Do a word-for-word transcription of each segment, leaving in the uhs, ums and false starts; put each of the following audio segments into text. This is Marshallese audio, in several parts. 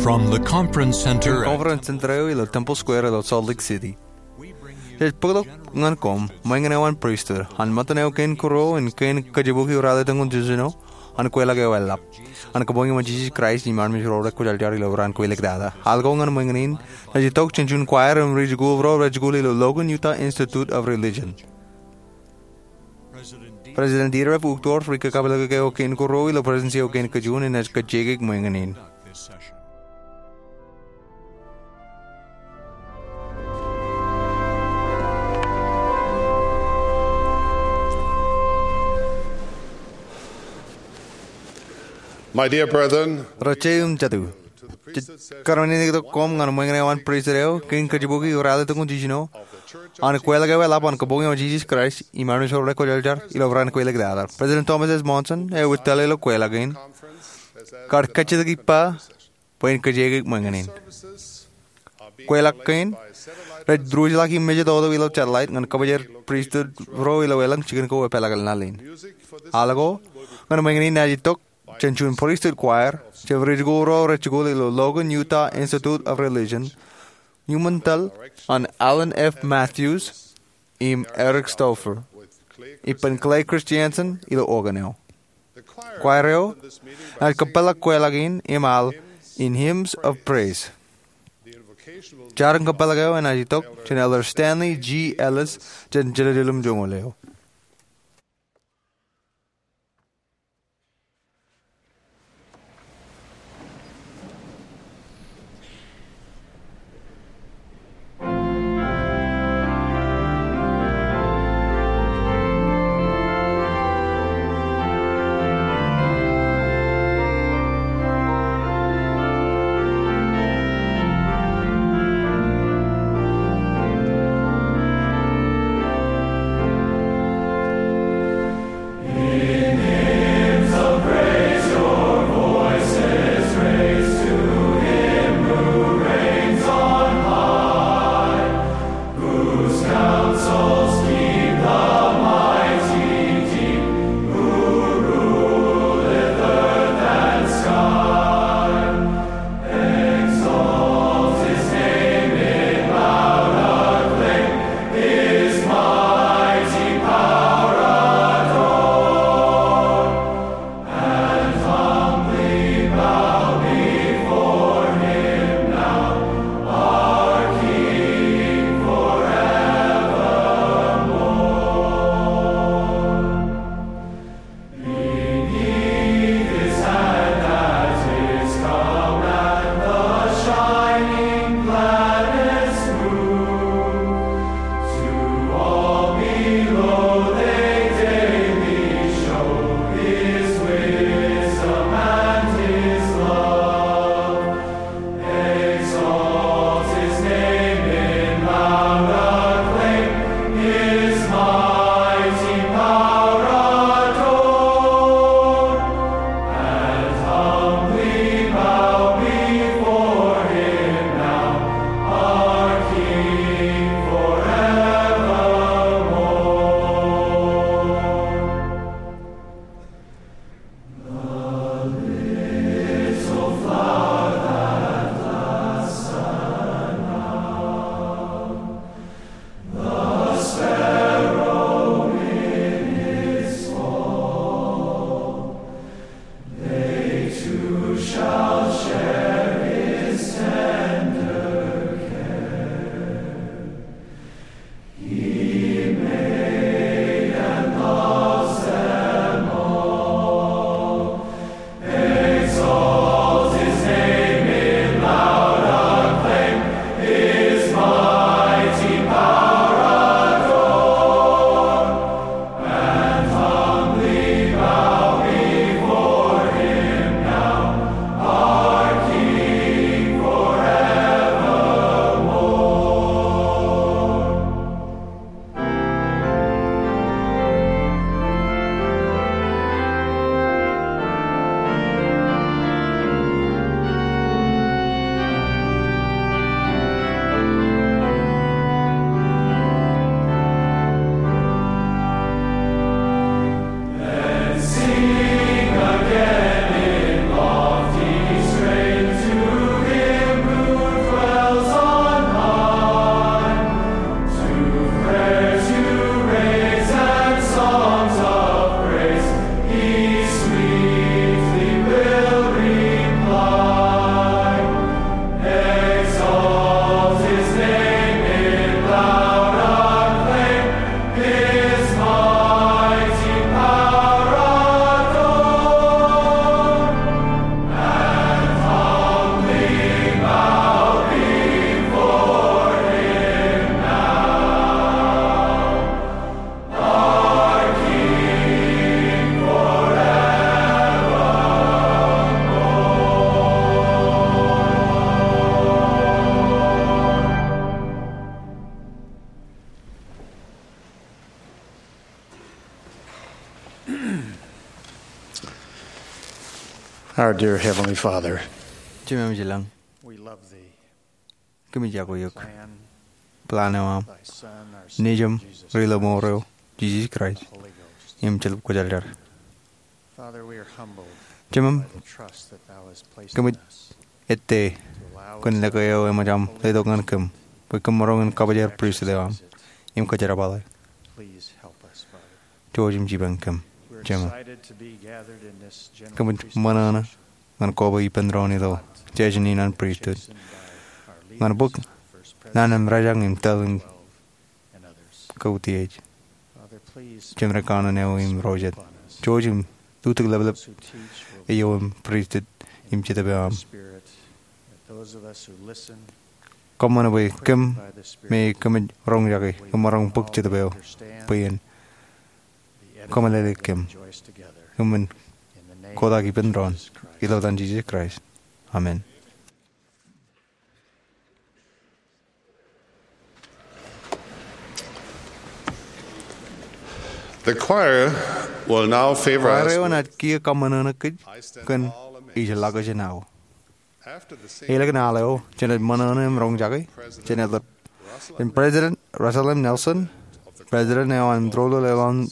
From the conference center at Conference Center eo ilo Temple Square ilo Salt Lake City. Jej bōktok ñan koṃ ṃōñā eo an pristut an ṃōttan eo kein kūr ro im kein kōjeboki eo ralitōñoul jiljino an kweilọk eo eḷap an Kabuñ eo an Jisōs Kraist im Armej ro Rekwōjarjar ilo Raan Kweilọkḷọk. Al ko ñan ṃōñā in ej itok jān juon kwaer im ri-jikuuḷ ro rej jikuuḷ ilo Logan Utah Institute of Religion. President Dieter F. Uchtdorf, ri-kakapeḷḷọk eo kein kūr ro ilo Presidency eo kein kajuon, enaaj kajjioñ ṃōñā in. My dear brethren, Ri-jeiū im jatū, jej kōrmānḷọkḷọk koṃ ñan ṃōñā eo an pristut eo kein kōjeboki eo ralitōñoul jiljino an kweilọk eo eḷap an Kabuñ eo an Jisōs Kraist im Armej ro Rekwōjarjar ilo Raan Kweilọkḷọk. President Thomas S. Monson eo ej tōl ilo kweilọk in kar kajjitōk ippa bwe en kajjioñ ṃōñā in. Kweilọk kein rej diwōjḷọk im mejatoto ilo satellite ñan kōbōjel pristut ro ilo elōñ jikin ko epeḷḷọk ḷọk in. Al ko ñan ṃōñā in enaaj itok jān juon pristut kwaer, jab ri-jikuuḷ ro rej jikuuḷ ilo Logan Utah Institute of Religion, iuṃwin tōl an Allen F. Matthews im Eric Stauffer, ippān Clay Christensen ilo organ eo. Kwaer eo enaaj kōpeḷḷọk kweilọk in im al in Hymns of Praise. Jar in kōpeḷḷọk eo enaaj itok jān Elder Stanley G. Ellis jān jelōjel im joñoul eo. Our dear Heavenly Father, Jemem ilañ, we love thee. Kōmij iọkwe eok. Plan eo aṃ. Thy Son, our Savior, Nejūṃ, Jesus Ri-lọmọọr eo, Jisōs Kraist, Holy Ghost. Im Jetōb Kwōjarjar. Father, we are humbled Jemem, by the trust that thou hast placed in kōmij us ettā to allow kōn us leḷọk eo eṃōj aṃ letok ñan kōm bwe kōm maroñ in kabajar pristut eo aṃ im kōjerbale. Please help us, Father. Jouj im jipañ kōm. We're Jemem, excited to be gathered in this general kōmij ṃōṇōṇō ñan koba ippān doon ilo session in an pristut ñan bōk naan in rōjañ im tōl in kautiej. Jemem, kōṇaan eo im ro jet, jouj im lutōk leplep eo im pristut im jetōb eo aṃ. Kōṃṃan bwe kōm me kōmij roñjake im maroñ bōk jetōb eo bwe en kōmeḷeḷe kōm. Kōmij kotak ippān doon ilo etan Jisōs Kraist. Amen. The choir will now favor us. Choir eo enaaj kiiō kaṃōṇōṇō kōj kōn ijellọkjeṇ aō. Elōñ al eo jenaaj ṃōṇōṇō im roñjake, jenaaj ḷap President Russell M. Nelson, President eo an Tōl Eo Laḷ in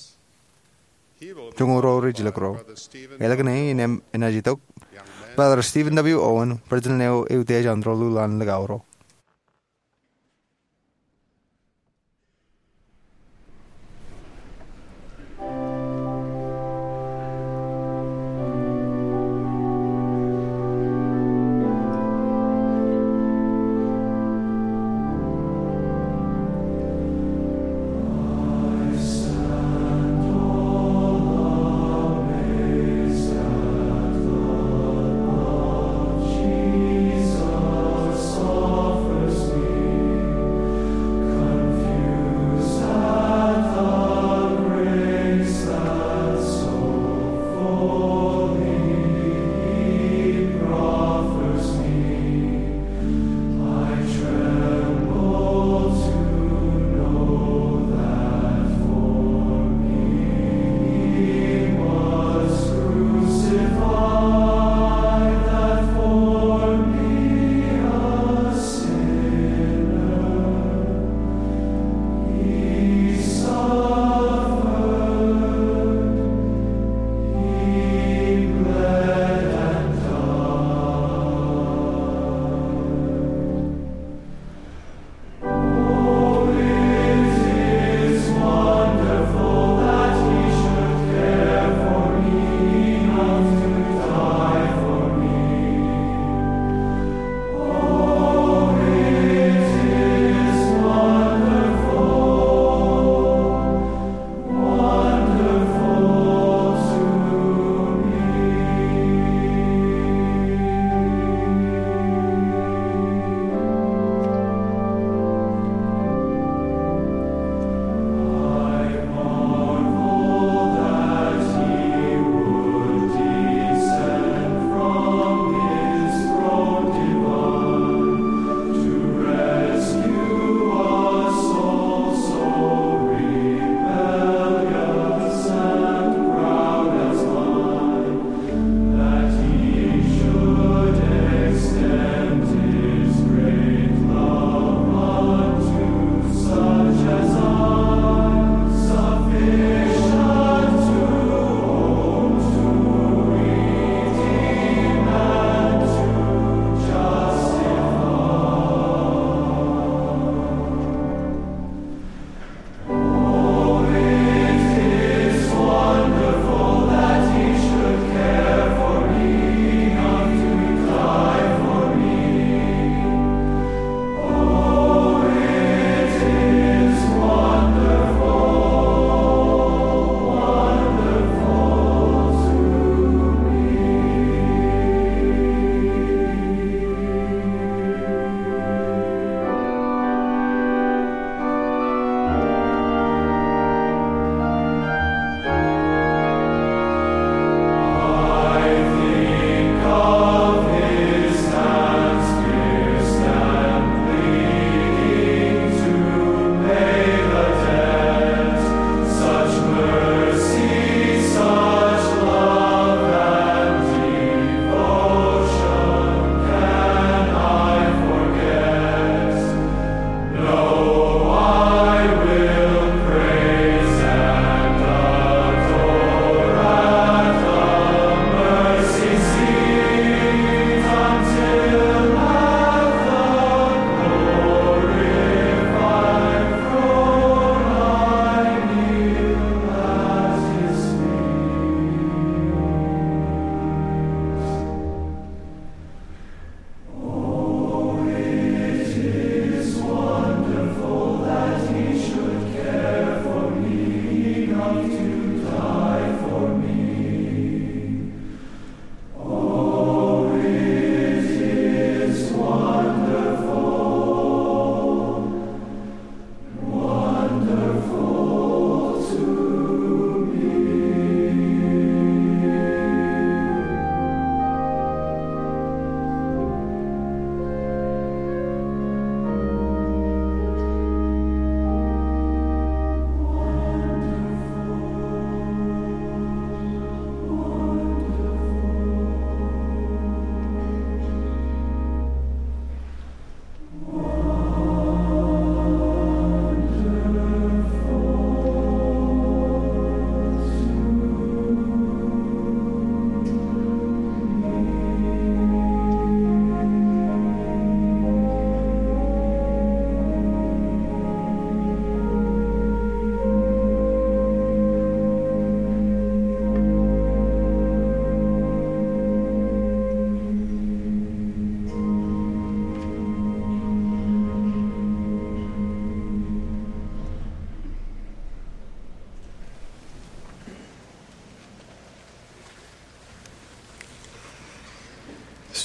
Joñoul Ruo Rijjilōk Ruo. Elōñ e enaaj itok Brother Stephen W. Owen, President eo eutiej an Tōl Eo Laḷ in Likao Ruo.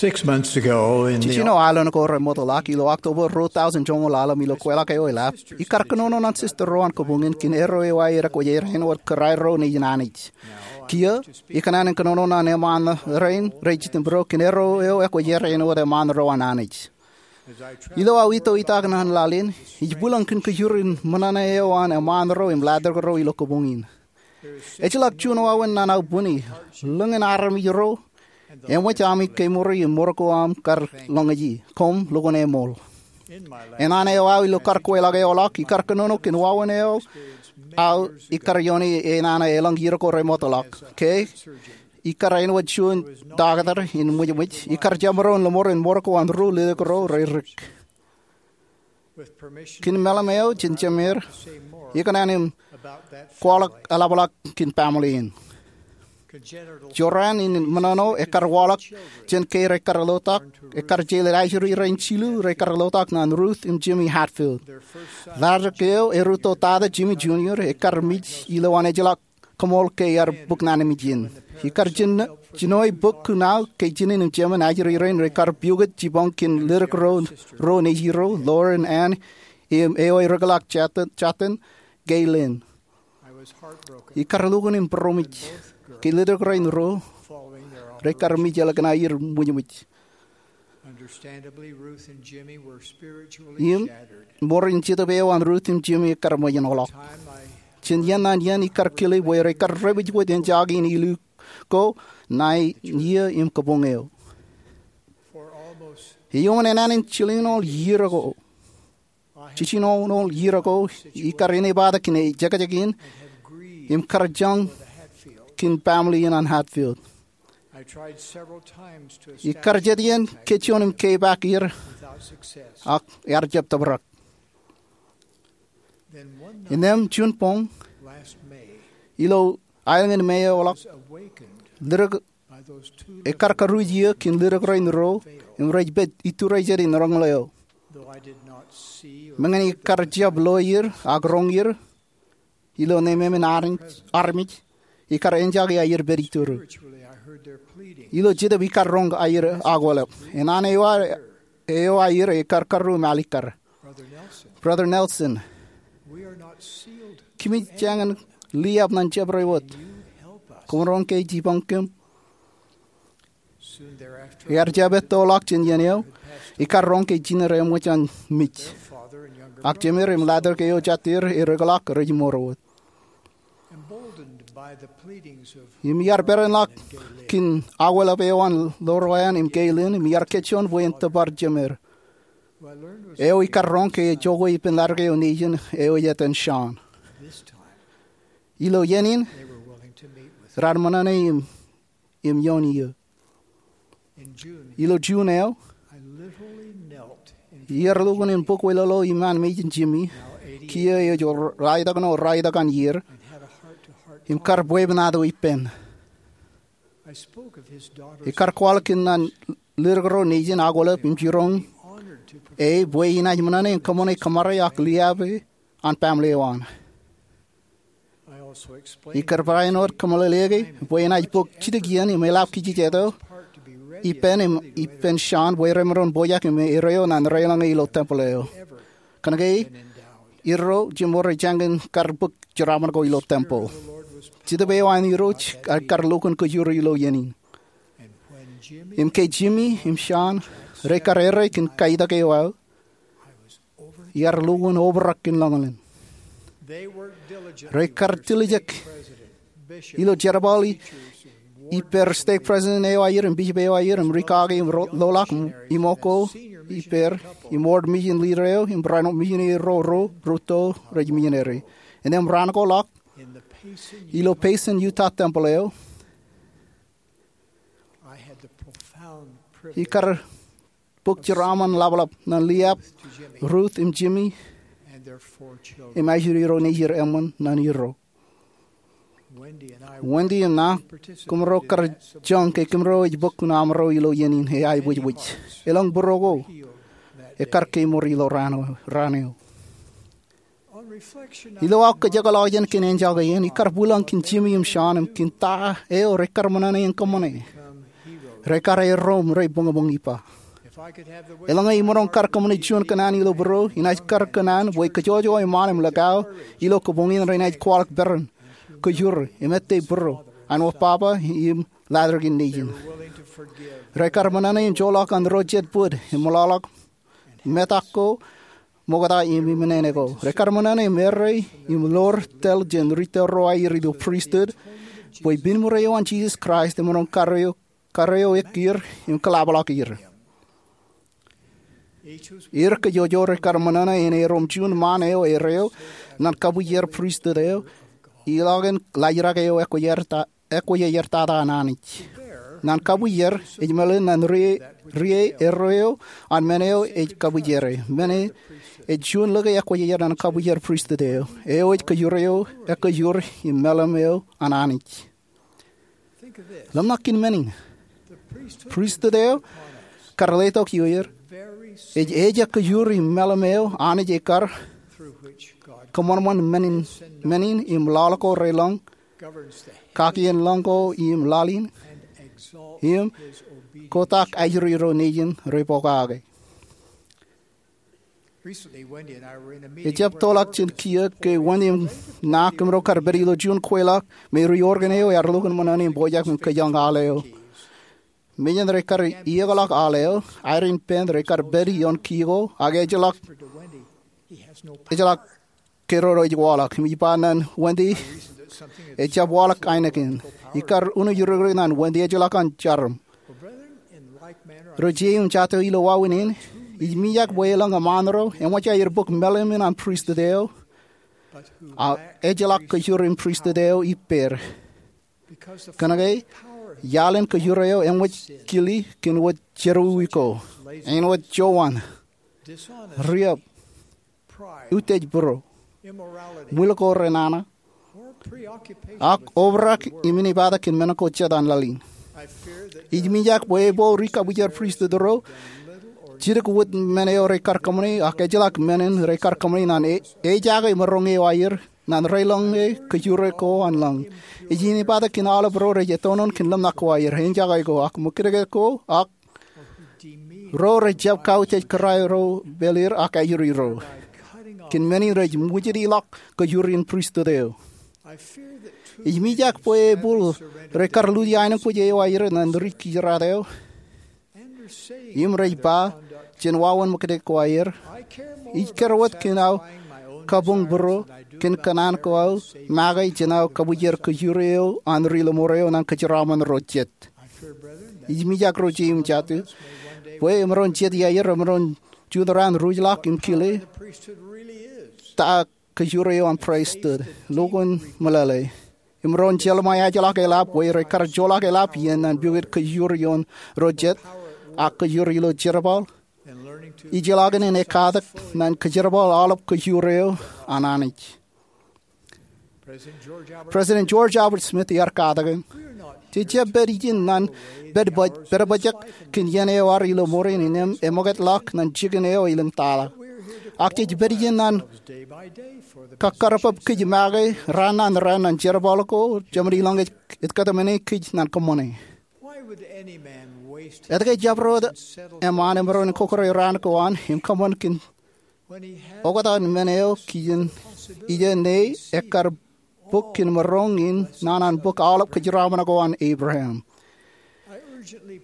Six months ago, in the Jijino aelōñ ko remootḷọk, ilo October ruo tōūseṇ joñoul ḷalem, ilo kweilọk eo eḷap, ikar kōnono ñan sister ro an kōbuñin kōn erro eo aer ekwōjarjar āinwōt kōrā erro nejin Anij. Kiiō, ikōṇaan in kōnono ñan eṃṃaan rein rej jitōnbōro kōn erro eo ekwōjarjar āinwōt eṃṃaan ro an Anij. Ilo aō ito itak ñan laḷ in, ij bwilōñ kōn kōjur in ṃōṇōṇō eo an eṃṃaan ro im ḷadik ro ilo kōbuñin. Ejjeḷọk juon wāween ñan aō bwini, lōñ in armej ro eṃōj ami kemour im mour ko aṃ kar lōñōj e, koṃ lukkuun eṃool. Eṇ an eo aō ilo kar kweilọk eo ḷọk, ikar kōnono kōn wāween eo aō ikar iooni eṇ an elōñ iiō ko remootḷọk. Ke ikar āinwōt juon taktō in ṃwijṃwij, ikar jab maroñ lōṃoor in mour ko an ri-ledik ro reirik. Kōn meḷeḷe eo jān Jemer, ikōṇaan im kwaḷọk eḷapḷọk kōn family in. Jorrāān in ṃōṇōṇō ekar waḷọk jān ke rekar lotak, ekar jeḷā ajri rein jilu rekar lotak ñan Ruth im Jimmy Hatfield. Ḷadik eo erūtto tata, Jimmy Junior, ekar mej ilowaan ejjeḷọk koṃṃool ke ear bōk ñan mijin. Ikar jino-, jinoe bōk kuṇaō ke jinen im jemān ajri rein rekar piukot jipañ kōn ledik ro, ro nejiro, Lauren, Ann, im eo ereḷọk jatōn, jatōn, Gaylene. Ikar lukkuun im būroṃōj ke ledik rein ro rekar mej ḷọk ñan aer ṃwijṃwij. Im ṃoor in jetōb eo an Ruth im Jimmy ekar ṃōjin ḷọk. Jān iien ñan iien ikar kile bwe rekar reṃwij wōt enjake in illu ko ṇae iiō im kōbuñ eo. Iuṃwin enañin jiljilimjuon iiō ko, jiljilimjuon iiō ko, ikar inepata kōn ejekjek in im kar jañ kōn family in an Hatfield. Ikar jet iien kōj juon im kepaak er, ak ear jab tōprak. Innām juon boñ, ilo aelōñ in May eo ḷọk, ledik, ekar karuj iiō kōn ledik rein ro im rej pād iturijet in roñoul eo. Meñe ikar jab lo er ak roñ er, ilo nemāmein armej, armej, ikar enjake aer pād iturū. Ilo jetōb ikar roñ aer akwālep. Enañin eo aer, eo aer ekar karū im alikkar. Brother Nelson, kōmij jañin liab ñan jabdewōt wōt. Koṃ roñ ke jipañ kōm. Ear jab ettoḷọk jān iien eo, ikar roñ ke jined eṃōj an mej. Ak jemed im ḷadik eo jatid ereḷọk rej mour wōt. Im iar perenḷọk kōn akwālep eo an Lauren im Gaylene, im iar kōjjoon bwe en tōpar jemed. Eo ikar roñ ke ejoko ippān ḷadik eo nejin eo ej etan Sean. Ilo iien in, raar ṃōṇōṇō im im ioon iiō. Ilo June eo, iar lukkuun in bōk wōtlọḷọk iṃaan mejin Jimmy, kiiō eo ej raetak ṇe raetak an iiō, im kar bwebwenato ippān. Ikar kwaḷọk kōn an ledik ro nejin akwālep im jiroñ e bwe inaaj ṃōṇōṇō in kōṃṃane kōṃṃare ak liab e an family eo an. Ikar barāinwōt kōmeḷeḷeiki bwe enaaj bōk jidik iien im eḷap kijejeto ippān im ippān Sean bwe remaroñ pojak im erreo ñan reḷọñe ilo tempel eo. Kōnke erro jimor ejjañin kar bōk jeraaṃṃan ko ilo tempel. Jetōb eo an Irooj ekar lukkuun kōjro ilo iien in. Im ke Jimmy im Sean rekar erreo kōn kaitak eo aō, iar lukkuun obrak kōn lọñlọñ. Rekar tiljek ilo jerbal i, ippāer stake president eo aer im bishop eo aer im ri kake im ro-, loḷọk im, im oko ippāer im ward mission leader eo im barāinwōt missionary ro, ro rūtto rej missionary. Innām raan ko ḷọk ilo Payson Utah tempel eo, ikar bōk jeraaṃṃan ḷapḷap ñan liab Ruth im Jimmy im ajri ro nejid eṃṃan ñan erro. Wendy im ṇa, kōmro kar jañ ke kōmro ej bōk kuṇaṃro ilo iien in eaebwijbwij. Elōñ būruo ko ekar kemour ilo raan eo, raan eo. Ilo aō kōjekḷọk jān kōn enjake in, ikar bwilōñ kōn Jimmy im Sean im kōn ta eo rekar ṃōṇōṇō in kōṃṃane. Rekar erom rej boñboñ ippa. Eḷaññe imaroñ kar kōṃṃane juon kōṇaan ilo būruō, inaaj kar kōṇaan bwe kōjwōjwōj eṃṃaan im likao ilo kōpoñin renaaj kwaḷọk peran, kōjure, im ettā būruō an wōt Baba im Ḷadik in Nejin. Rekar ṃōṇōṇō im joḷọk an ro jet bōd im meḷọkḷọk metak ko, ṃokta im eṃṃan ko. Rekar ṃōṇōṇō im errā im ḷoor tōl jān ri tōl ro aer ilo pristut bwe binmure eo an Jisōs Kraist emaroñ kar eo, kar eo ekier im kōḷapḷọk er. Er kōjwōjwōj rekar ṃōṇōṇō en erom juon ṃaan eo erreo ñan kabuj er pristut eo iḷọk in laajrak eo ekwe er ta-, ekwe er tata an Anij. Ñan kabuj er, ej meḷeḷe ñan ri-, ri erreo an men eo ej kabuj er. Men e ej juon lōke ekwe er ñan kabuj er pristut eo. Eo ej kōjure eo ekkōjur im meḷeḷe eo an Anij. Ḷōmṇak kōn men in. Pristut eo kar letok ioer ej ejakkōjur im meḷeḷe eo Anij ekar kōṃanṃan men in, men in im laḷ ko relōñ, kakien lōñ ko im laḷ in, im kotak ajri ro nejin rej pokake. Ejab tōlḷọk jān kiiō ke Wendy im ṇa kōmro kar pād ilo juon kweilọk me ri Oregon eo ear lukkuun ṃōṇōṇō im pojak im kōjañ al eo. Mejān rekar iiōkḷọk al eo, Irene Penn rekar pād ioon kiiō ko ak ejjeḷọk, ejjeḷọk keroro ej waḷọk. Im ij ba ñan Wendy, ejab waḷọk ainikien. Ikar unuj rikrik ñan Wendy ejjeḷọk an jarom. Ro jeiū im jatū ilo wāween in, ij mijak bwe elōñ eṃṃaan ro eṃōj aer bōk meḷeḷe in an pristut eo, ak ejjeḷọk kōjur in pristut eo ippāer. Kōnke iaḷ in kōjure eo eṃōj kile kōn wōt jerọwiwi ko, āinwōt jowan, riab, utiej būruō, ṃwiil ko renana, ak obrak im inepata kōn men ko jet an laḷ in. Ij mijak bwe ebwe ri kabuj er pristut ro jidik wōt men eo rekar kōṃṃane ak ejjeḷọk men in rekar kōṃṃane ñan e-, ejaake maroñ eo aer ñan relōñ e kōjure ko an lōñ. Ej inepata kōn aolep ro rej ettoon kōn ḷōmṇak ko aer, eñjake ko, ak ṃōkaj ko, ak ro rej jab kautiej kōrā ro pāleer ak ajri ro kōn men in rej ṃwijitḷọk kōjur in pristut eo. Ij mijak bwe ebwe rekar lutōk ainikien eo aer ñan ri kijeraad eo im rej ba jān wāween ṃōkaj ko aer, ij kar wōt kōn aō kabuñ būruō kōn kōṇaan ko aō make jān aō kabuj er kōjure eo an ri lọmọọr eo ñan kōjeraaṃṃan ro jet. Ij mijak ro jeiū im jatū bwe emaroñ jet iaer emaroñ juon raan ruj ḷọk im kile ta kōjure eo an pristut, lukkuun meḷeḷe. Im emaroñ jeḷā ṃae ajḷọk eḷap bwe rekar joḷọk eḷap iien ñan pukot kōjur ioon ro jet ak kōjur ilo jerbal, ijellọkin in ekkatak ñan kōjerbal aolep kōjur eo an Anij. President George Albert Smith ear katakin, jej jab pād ijin ñan pād baj-, pād bajjek kōn iien eo ad ilo ṃool in im eṃōkajḷọk ñan jikin eo elōñ tata. Ak jej pād ijin ñan kakkarpap kōj make raan ñan raan ñan jerbal ko jeṃḷọkin ej, ej kōtmāne kōj ñan kōṃṃane. Etke jabdewōt eṃṃaan emaroñ in kọkkure raan ko an im kōṃṃan kōn oktak in men eo kijen ijo ṇe ekkar bōk kōn maroñ in naan an bōk aolep kōjeraaṃṃan ko an Abraham?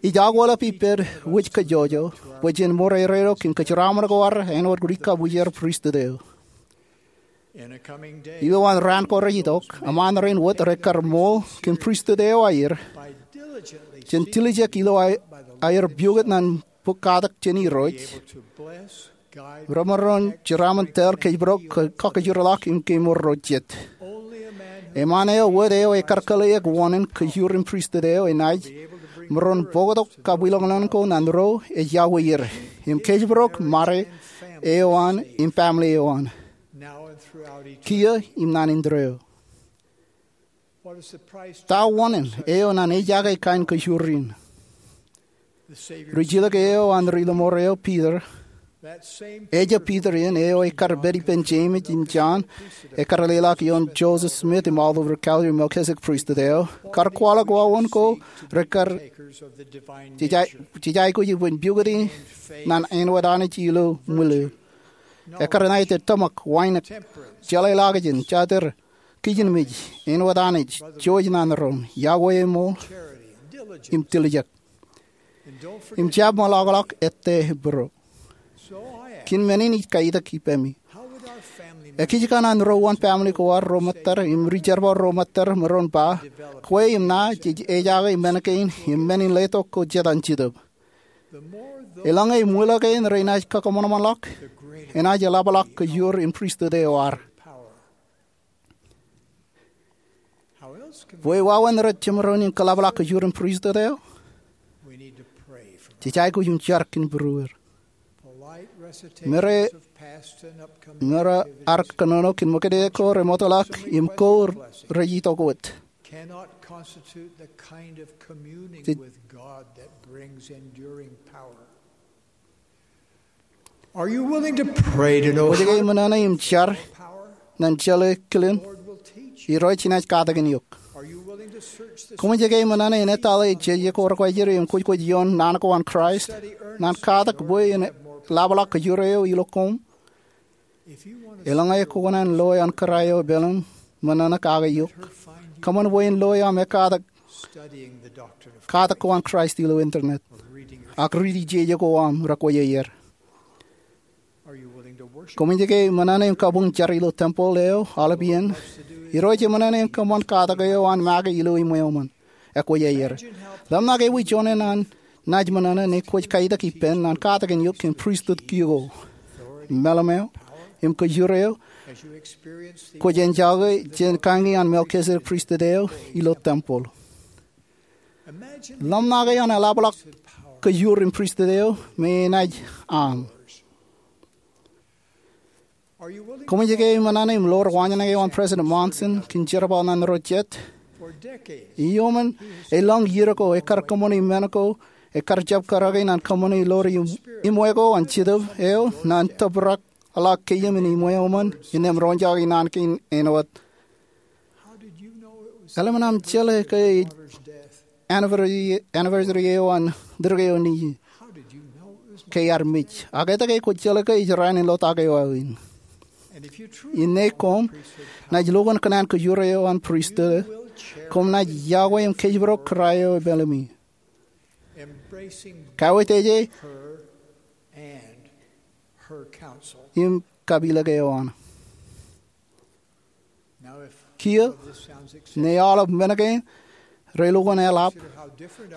Ij akwōlep ippād wōj kajjojo bwe jen ṃōrere ro kōn kōjeraaṃṃan ko ad āinwōt ri kabuj er pristut eo. Ilo an raan ko rej itok, eṃṃaan rein wōt rekar ṃool kōn pristut eo aer jān dilijek ilo aer, aer pukot ñan bōk katak jān Irooj, remaroñ jeraaṃṃan tōl kōjparok, kakajoorḷọk im kemour ro jet. Eṃṃaan eo wōt eo ekar kōḷḷeeik wōṇāān kōjur in pristut eo enaaj maroñ bōktok kabwilōñlōñ ko ñan ro ej iọkwe er im kōjparok ṃade eo an im baaṃle eo an kiiō im naan in tōre eo. Ta wōṇāān eo ñan ejaake kain kōjur in? Rijjilōk eo an ri lọmọọr eo Peter Ejab Piter in eo ekar pād ippān Jemes im Jon, ekar leḷọk ioon Joseph Smith im Oliver Cowdery Melchizedek Priesthood eo, kar kwaḷọk wāween ko rekar jej aikuj ippān pukoti ñan āinwōt Anij ilo ṃwilu. Ekar ṇa ej tōmak, wānōk, jeḷāḷọkjeṇ, jatūr, kijenmej, āinwōt Anij, jouj naan roñ, iọkwe eṃool, im tiljek. Im jab ṃōḷọkḷọk ettā būruō. Kōn men in ij kaitak ippaṃi. Ekij kōṇaan ro uwaan family ko ad ro ṃōttad im ri-jerbal ro ṃōttad maroñ ba, kwe im ṇa jej ejake men kein im men in letok ko jet an Jetōb. Eḷaññe ṃwilu kein renaaj kōṃanṃanḷọk, enaaj eḷapḷọk kōjur in pristut eo ad. Bwe wāween rej jemaroñ in kōḷapḷọk kōjur in pristut eo? Jej aikuj im jar kōn būrueir. Mera, mera ar kōnono kōn ṃōkaj ko remootḷọk im ko rej itok wōt. Jej Kwōj ke ṃōṇōṇō im jar ñan jeḷā kilen Irooj enaaj katakin eok? Koṃij ke ṃōṇōṇō in etale jeje ko rekwājeḷ im kwōjkwōj ioon naan ko an Kraist, ñan katak bwe en ḷapḷọk kōjur eo ilo koṃ? Eḷaññe kwō kōṇaan loe an kōrā eo epālōñ, ṃōṇōṇō kake eok. Kōṃṃan bwe en loe aṃ ekkatak katak ko an Kraist ilo internet, ak riiti jeje ko aṃ rekwōj aer. Koṃij ke ṃōṇōṇō im kabuñ jar ilo tempeḷ eo aolep iien? Irooj eṃōṇōṇō im kōṃṃan katak eo an make ilo iṃweo ṃōn, ekwōj aer. Ḷōmṇak ewi juon an naaj ṃōṇōṇō ñe kwōj kaitak ippān ñan katakin eok kōn pristut kiiō ko, meḷeṃ eo, im kōjur eo kwōj enjoy jān kañi an Melchizedek Priesthood eo ilo tempeḷ. Ḷōmṇake an eḷapḷọk kōjur in pristut eo me enaaj aṃ. Koṃij ke ṃōṇōṇō im loor waanjoñak eo an President Monson kōn jerbal ñan ro jet? Iuṃwin elōñ iiō ko ekar kōṃṃani men ko ekar jab karōke ñan kōṃṃani loor iṃwe ko an Jetōb eo ñan tōprak ḷọk kein im iṃweo ṃōn innām roñjake naan kein āinwōt, eḷaññe aṃ jeḷā ke ej anniversary, anniversary eo an ḷitōk eo nejū ke ear mej, ak etke kwōj jeḷā ke ej raan in ḷotak eo aō in? Innām koṃ naaj lukkuun kōṇaan kōjur eo an pristut, koṃ naaj iọkwe im kōjparok kōrā eo epālōmi, kawōj teje im kapilōk eo an. Kiiō, ñe aolep men kein relukkuun eḷap,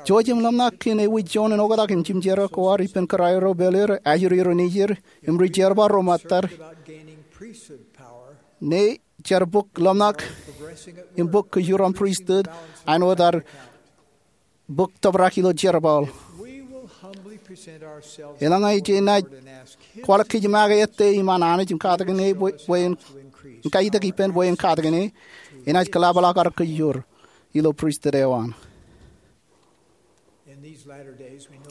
jouj im ḷōmṇak kōn ewi juon in oktak im jimjerā ko ad ippān kōrā ro pāleer, ajri ro nejier, im ri-jerbal ro ṃōttad, ñe jar bōk ḷōmṇak im bōk kōjur an pristut āinwōt ad bōk tōprak ilo jerbal. Eḷaññe jenaaj kwaḷọk kōj make ettā iṃaan Anij im katakin e bwe, bwe en, kaitak ippān bwe en katakin e, enaaj kōḷapḷọk ad kōjur ilo pristut eo an.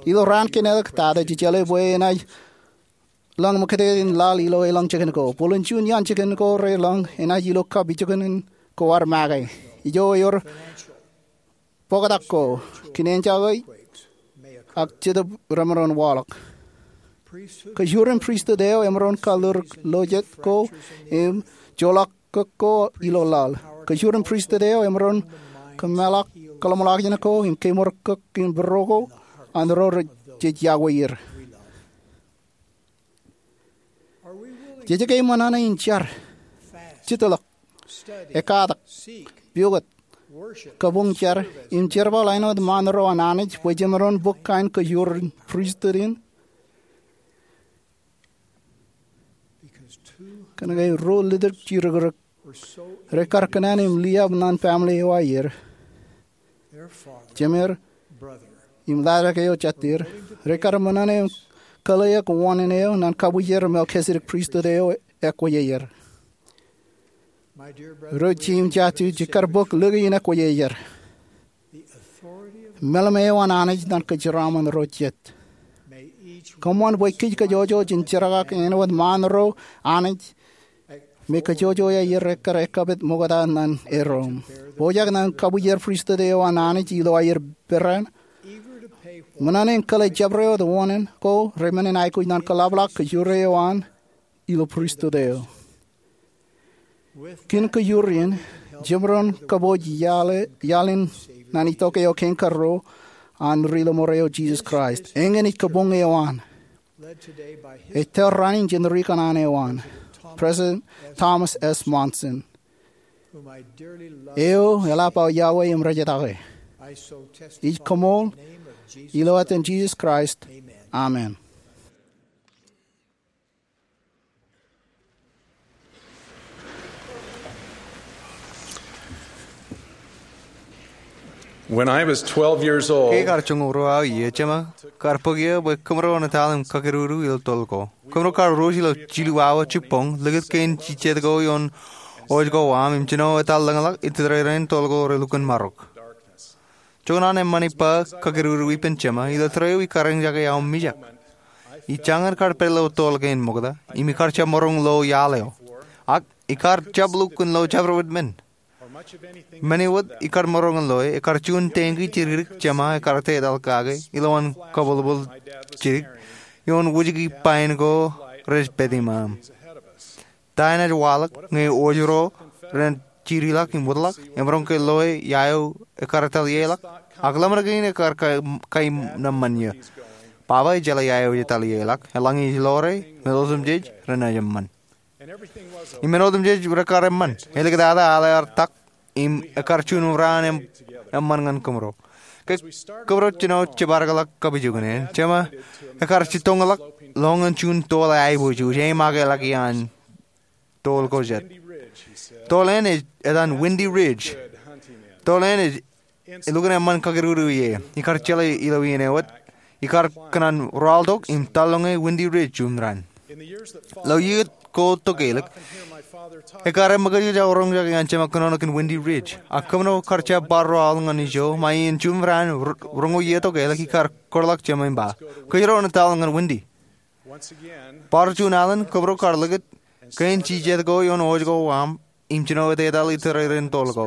Ilo raan kein āliktata jej jeḷā bwe enaaj lōñ ṃōkajjien laḷ ilo elōñ jikin ko. Bōlen juon iaan jikin ko relōñ enaaj ilo kab ijoko ko ad make. Ijo ewōr bōktak ko, kōn enjoy ak Jetōb remaroñ waḷọk. Kōjur in pristut eo emaroñ kalōr lo jet ko im joḷọk kōk ko ilo laḷ. Kōjur in pristut eo emaroñ kōmeḷọk kōḷmānḷọkjeṇ ko im kemour kōk in būruō ko an ro rej jej iọkwe er. Jej ke ṃōṇōṇō in jar, jitḷọk, ekkatak, pukot, kabuñ jar, im jerbal āinwōt ṃaan ro an Anij bwe jemaroñ bōk kain kōjur in pristut in? Kōnke ruo ḷitōk jidikdik rekar kōṇaan im liab ñan family eo aer, jemed im laajrak eo jatid, rekar ṃōṇōṇō im kōḷḷeeḷe wōṇāān eo ñan kabwijer Melchizedek Priesthood eo ekwōj aer. Ro ij im jatid, jekar bōk lōke in ekwōj aer. Meḷeṃ eo an Anij ñan kōjeraaṃṃan ro jet. Kōṃṃan bwe kōj kōjojoj in jerkakak āinwōt ṃaan ro Anij me kōjojoj aer ekkar ekkapit ṃokta ñan erom. Pojak ñan kabwijer pristut eo an Anij ilo aer peran, ṃōṇōṇō in kōḷḷe jabdewōt oṇān ko remennin aikuj ñan kōḷapḷọk kōjro eo an ilo pristut eo. Kōn kōjro in, jemaroñ kōpooj iaḷ in ñan itok eo kein karuo an ri lọmọọr eo Jisōs Kraist. Eñin ej kōpoñ eo an. Ej tōl raṇ in jān ri kanaan eo an, President Thomas S. Monson, eo eḷap aō iọkwe im rejjitōk e. Ij koṃṃool ilo etan Jisōs Kraist, amen. When I was twelve years old, ke kar joñoul ruo aō iiō, jema kar bōk eō bwe kōmro en etal im kakerudu ilo toḷ ko. Kōmro kar ruj ilo jilu awa jibboñ likūt kein jijet ko ioon wōj ko aṃ im jino etal lōñḷọk itōrrerein toḷ ko relukkuun marok. Joñan an eṃṃan ippa kakerudu ippān jema, ilo tōre eo ikar eñjake aō mijak. Ij jañin kar pād ilo toḷ kein ṃokta im ikar jab maroñ lo iaḷ eo. Ak ikar jab lukkuun lo jabdewōt men. Men eo wōt ikar maroñ in loe ekar juon tanki jidikdik jema ekar te etal kake ilowaan kabwilbwil jidik ioon wūjiki pain ko rej pād iṃaaṃ. Ta enaaj waḷọk ñe wōj ro renaaj jidiḷọk im wōtlọk emaroñ ke loe ia eo ekar etal ieḷọk? Ak ḷōmṇak in ekar kai, kai nōṃṃan iiō. Baba ej jeḷā ia eo ej etal ieḷọk. Eḷaññe ej ḷoore, men otemjej renaaj eṃṃan. Im men otemjej rekar eṃṃan. Elikatata aḷ ear tak im ekar juon raan eṃ, eṃṃan ñan kōmro. Ke kōmro jino jepatōkḷọk kapijuknen, jema ekar jitōñḷọk ḷọk ñan juon toḷ eaiboojoj, eimākeḷọk iaan toḷ ko jet. Toḷ eṇ ej etan Windy Ridge. Toḷ eṇ ej elukkuun eṃṃan kakerudu ie. Ikar jeḷā ilo iien eo wōt ikar kōṇaan rọọltok im tarroñ e Windy Ridge juon raan. Ilo iiō ko tokālik, ekar eṃōkajjaj aō roñjake an jema kōnono kōn Windy Ridge. Ak kōmro kar jab bar rọọl ñan ijo ṃae in juon raan ro-, roñoul iiō tokālik ikar kōtḷọk jema im ba, kōjro en etal ñan Windy. Bar juon alen kōmro kar likūt kein jijet ko ioon wōj ko aṃ im jino etetal itōrrerein toḷ ko.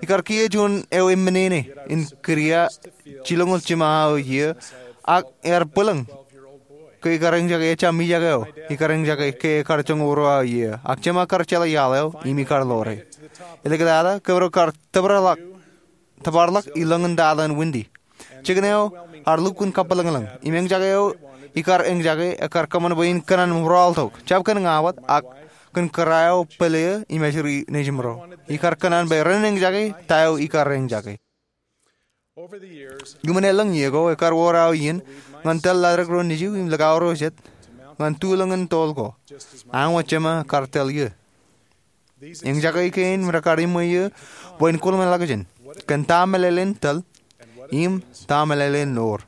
Ikar kiiō juon eo eṃṃan in kidia jilñoul jiṃa aō iiō, ak ear bwilōñ ke ikar eñjake ejja mijak eo ikar eñjake ke ekar joñoul ruo aō iiō. Ak jema kar jeḷā iaḷ eo im ikar ḷoore. Elikatata kōmro kar tōpar ḷọk, tōpar ḷọk ilōñ in tata in Windy. Jikin eo ear lukkuun kabwilōñlōñ im eñjake eo ikar eñjake ekar kōṃṃan bwe in kōṇaan rọọltok, jab kōn ña wōt ak kōn kōrā eo pāle eō im ājri nejimro. Ikar kōṇaan bwe ren eñjake ta eo ikar eñjake. Iuṃwin elōñ iiō ko ekar wōr aō iien ñan tōl laḷ ro nejū im likao ro jet ñan tulōñ in toḷ ko, an wōt jema kar tōl iiō. Eñjake kein rekar iṃwe iiō bwe in kōḷmānḷọkjeṇ kōn ta meḷeḷein tōl im ta meḷeḷein ḷoor.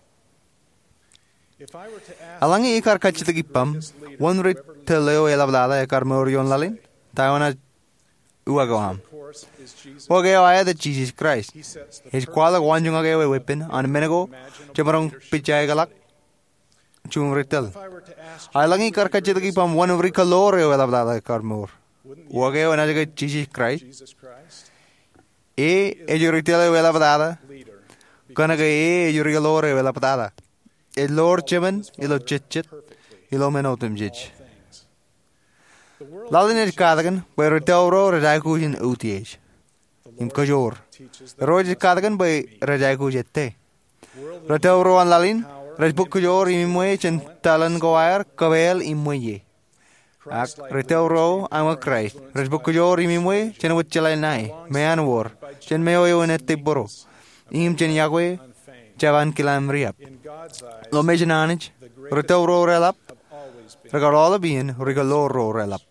Eḷaññe ikar kajjitōk ippaṃ wōn ri tōl eo eḷapḷaḷa ekar mour ioon laḷ in, ta eo enaaj uwaak eo aṃ? Uwaak eo aet ej Jisōs Kraist. Ej kwaḷọk waanjoñak eo eweeppān an men ko jemaroñ pijjaikeḷọk juon ri tōl. Eḷaññe ikar kajjitōk ippaṃ wōn ri kaḷoor eo eḷapḷaḷa ekar mour, uwaak eo enaaj ke Jisōs Kraist? E ej ri tōl eo eḷapḷaḷa kōnke e ej ri kaḷoor eo eḷapḷaḷa. Ej ḷoor jemān ilo jejjet, ilo men otemjej. Laḷ in ej katakin bwe ri tōl ro rej aikuj in utiej im kōjoor. Irooj ej katakin bwe rej aikuj ettā. Ri tōl ro an laḷ in rej bōk kōjoor im iṃwe jān taḷ in ko aer kōpeḷ im ṃweiie. Ak ri tōl ro an Kraist rej bōk kōjoor im iṃwe jān wōt jeḷā ṇae, meanwōr, jān meoeo in ettā būro, im jān iọkwe jab ankilaaṃ riab. Ilo mejān Anij, ri tōl ro reḷap rekar aolep iien ri kaḷoor ro reḷap.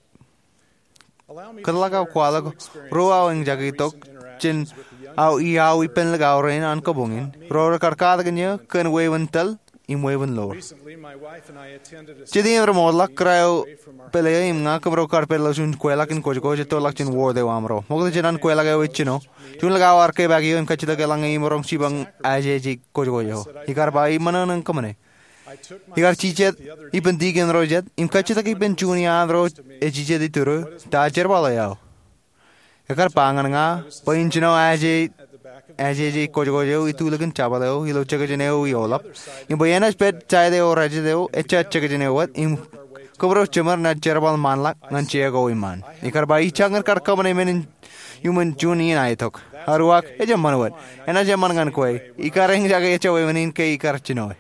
Kōtḷọk aō kwaḷọk ruo aō eñjake tok jān aō iaḷ ippān likao rein an kabuñ in, ro rekar katakin eō kōn wāween tōl im wāween ḷoor. Jete im remootḷọk kōrā eo pāle eo im ña kōmro kar pād ilo juon kweilọk in kōjkōj ej tōrḷọk jān wōt eo aṃro. Ṃokta jān an kweilọk eo ej jino, juon likao ear kepaak eō im kajjitōk eḷaññe imaroñ jipañ ajeje kōjkōj eo. Ikar ba, iṃōṇōṇō in kōṃṃane. Ikar jijet ippān dikon ro jet im kajjitōk ippān juon iaan ro ej jijet iturū, ta jerbal eo aō? Ekar ba ñan ña bwe in jino ajeje kojkoj eo itulikin jabōt eo ilo jekjek eo ioḷap, im bwe enaaj pād side eo rājet eo ejja jekjek eo wōt, im kōmro jiṃor naaj jerbal ṃaanḷọk ñan jea ko iṃaan. Ikar ba ij jañin kar kōṃṃane men in iuṃwin juon iien aetok. Aruak, ejjab ṃan wōt. Enaaj eṃṃan ñan kwe. Ikar eñjake ejja wāween in ke ikar jino e.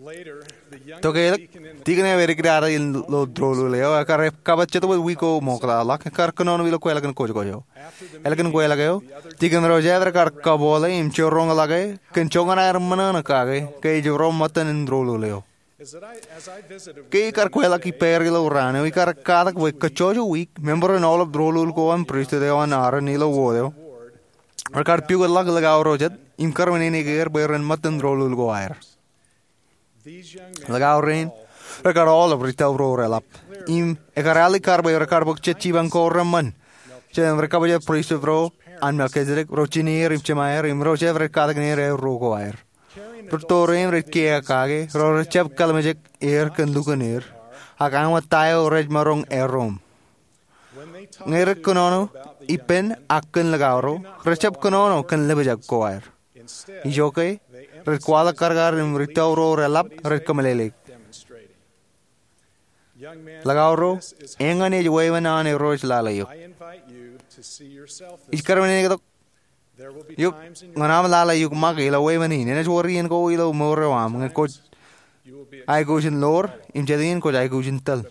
Tokālik, dikon eo edik data ilo doulul eo, ekkar kabbōt jetōb wōt wiik ko ṃoktata ḷọk, ekkar kōnono ilo kweilọk in kojkoj eo. Ālikin kweilọk eo, dikon ro jet rekar kabooḷe im jiroñḷọke kōn joñan aer ṃōṇōṇō kake ke ej ro ṃōttan in doulul eo. Ke ikar kweilọk ippāer ilo raan eo, ikar katak bwe kajjojo wiik, member in aolep doulul ko an pristut eo an Aaron ilo wōt eo rekar pukotḷọk likao ro jet im kōrmānṃan er bwe ren ṃōttan doulul ko aer. Likao rein rekar aolep ri-tōl ro reḷap, im ekar alikkar bwe rekar bōk jet jipañ ko reṃṃan jān ri-kabwilōñ pristut ro an Melkisedek, ro jine er im jema er, im ro jab rej katakin er aer ro ko aer. Rūtto rein rej kiiō kake, ro rejjab kōḷmānjeḷ er kōn lukkuun er, ak āinwōt ta eo rej maroñ erom. Ñe rej kōnono ippān ak kōn likao ro, rejjab kōnono kōn ḷōmijak ko aer. Ijoke, rej kwaḷọk karkar im ri-tōl ro reḷap rej kōmeḷeḷeik. Likao ro, eñin ej wāween an Irooj lale eok. Ij kōrmānṃan tok eok ñan aṃ lale eok ṃake ilo wāween in. Enaaj wōr iien ko ilo mour eo aṃ ñe kwōj aikuj in ḷoor, im jet iien kwōj aikuj in tōl.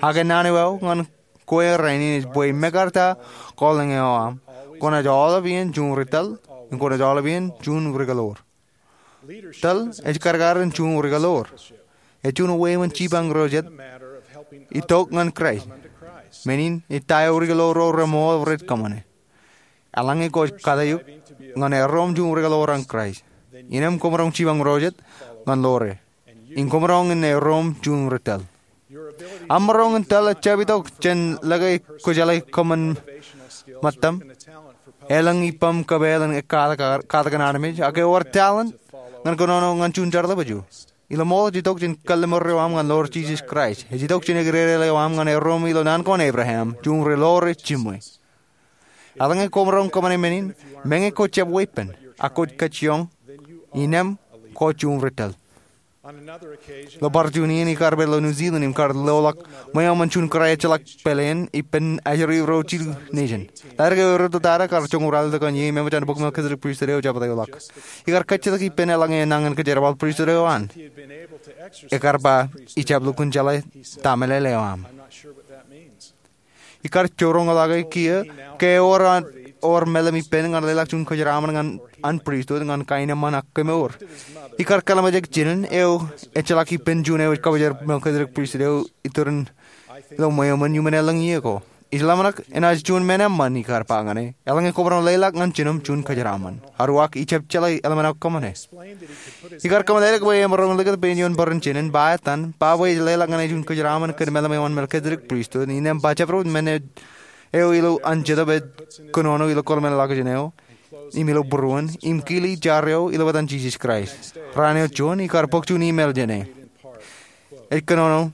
Ak naan eo aō ñan kwe rainin ej bwe mekarta calling eo aṃ, kwōnaaj aolep iien juon ri-tōl, im kwōnaaj aolep iien juon ri-kōḷoor. Tōl ej karkar in juon ri-kōḷoor. Ej juon wāween jipañ ro jet itok ñan Kraist. Men in ej ta eo ri-kōḷoor ro reṃool rej kōṃṃane. Eḷaññe kwōj kate eok ñan erom juon ri-kōḷoor an Kraist, innām kwōmaroñ jipañ ro jet ñan ḷoor e, im kwōmaroñ in erom juon ri-tōl. Aṃ maroñ in tōl ejjab itok jān lōke kwō jeḷā kōṃṃan ṃōttaṃ, elōñ ippaṃ kōpeḷ in katakin armej, ak ewōr talent ñan kōnono ñan juon jar ḷapḷap eo. Iḷaṃool ej itok jān kalliṃur eo aṃ ñan ḷoor Jisōs Kraist. Ej itok jān ekdedel eo aṃ ñan erom ilo naan ko an Ebream, juon ri-ḷoor eo jiṃwe. Eḷaññe kwōmaroñ kōṃṃane men in, meñe kwō jab weeppān, ak kwōj kajjioñ, innām kwōj juon ri-tōl. Ilo bar juon iien ikar pād ilo New Zealand im kar loḷọk ṃweo ṃōn juon kōrā ejjeḷọk pāleen ippān ajri ro jilu nation. Ḷadik eo erūtto tata kar joñoul ralitōk eṇ iiō im eṃōj an bok Melkisedek pristut eo jabdewōt ḷọk. Ikar kajjitōk ippān eḷaññe enañin kōjerbal pristut eo an. Ekar ba, ijjab lukkuun jeḷā ta meḷeḷe eo aṃ. Ikar jiroñḷọke kiiō ke ewōr an, ewōr meḷeḷe ippān ñan leḷọk juon kōjeraaṃṃan ñan an pristut ñan kaenōṃṃan ak kemour. Ikar kōḷmānjeḷ jinen eo ejjeḷọk ippān juon eo ej kabōjrak Melkisedek pristut eo iturin ilo ṃweo ṃōn iuṃwin elōñ iiō ko. Ij ḷōmṇak enaaj juon men eṃṃan, ikar ba ñan e, eḷaññe kwōmaroñ leḷọk ñan jinem juon kōjeraaṃṃan. Aruak, ijjab jeḷā eḷmenok kōṃṃane. Ikar kōmeḷeḷeik bwe emaroñ likūt opinioñ bwe ren jinen ba etan, ba bwe ej leḷọk ñan e juon kōjeraaṃṃan kōn meḷeḷe eo an Melkisedek pristut, innām ba jabdewōt men eo ilo an Jetōb ej kōnono ilo kōḷmānḷọkjeṇ eo, im ilo būruon, im kili jar eo ilo etan Jisōs Kraist. Raan eo juon, ikar bōk juon email jān e. Ej kōnono,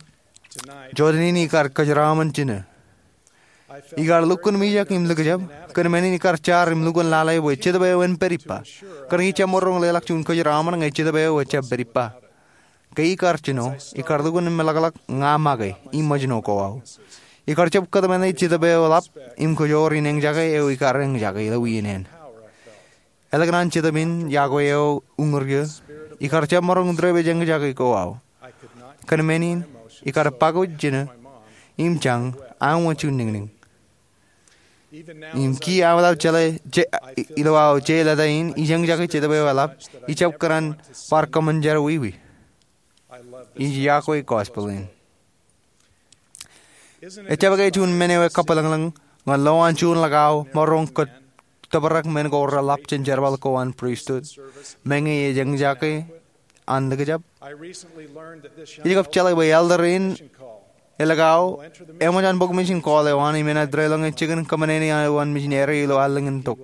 jota in ikar kōjeraaṃṃan jinō. Ikar lukkuun mijak im likjab, kōn men in ikar jar im lukkuun lale bwe Jetōb eo en pād ippa. Kōnke ij jab maroñ leḷọk juon kōjeraaṃṃan ñe Jetōb eo ejjab pād ippa. Ke ikar jino, ikar lukkuun meḷọkḷọk ña make, im ṃōjṇo ko aō. Ikar jab kōtmāne Jetōb eo eḷap, im kōjoor in eñjake eo ikar eñjake ilo wien eṇ. Ālikin an Jetōb in yokwe eo uñūr eō, ikar jab maroñ drive eñjake ko aō. Kōn men in, ikar pakuj jinō, im jañ, aṃ wōt juon niñniñ. Im kiiō aṃ wōt aō jeḷā, je, ilo aō je leta in, ij eñjake Jetōb eo eḷap, ij jab kōṇaan bar kōṃṃan jerọwiwi. Ij yokwe gospel in. Ejjab ke juon men eo ekabwilōñlōñ ñan lo an juon likao maroñ kōttōprak men ko reḷap jān jerbal ko an pristut, meñe ej eñjake an likjab? Ij kab jeḷā bwe elder in eḷap eo eṃōj an bōk mission call eo an im enaaj deḷọñe jikin kōṃṃane eo an missionary ilo allōñ in tok.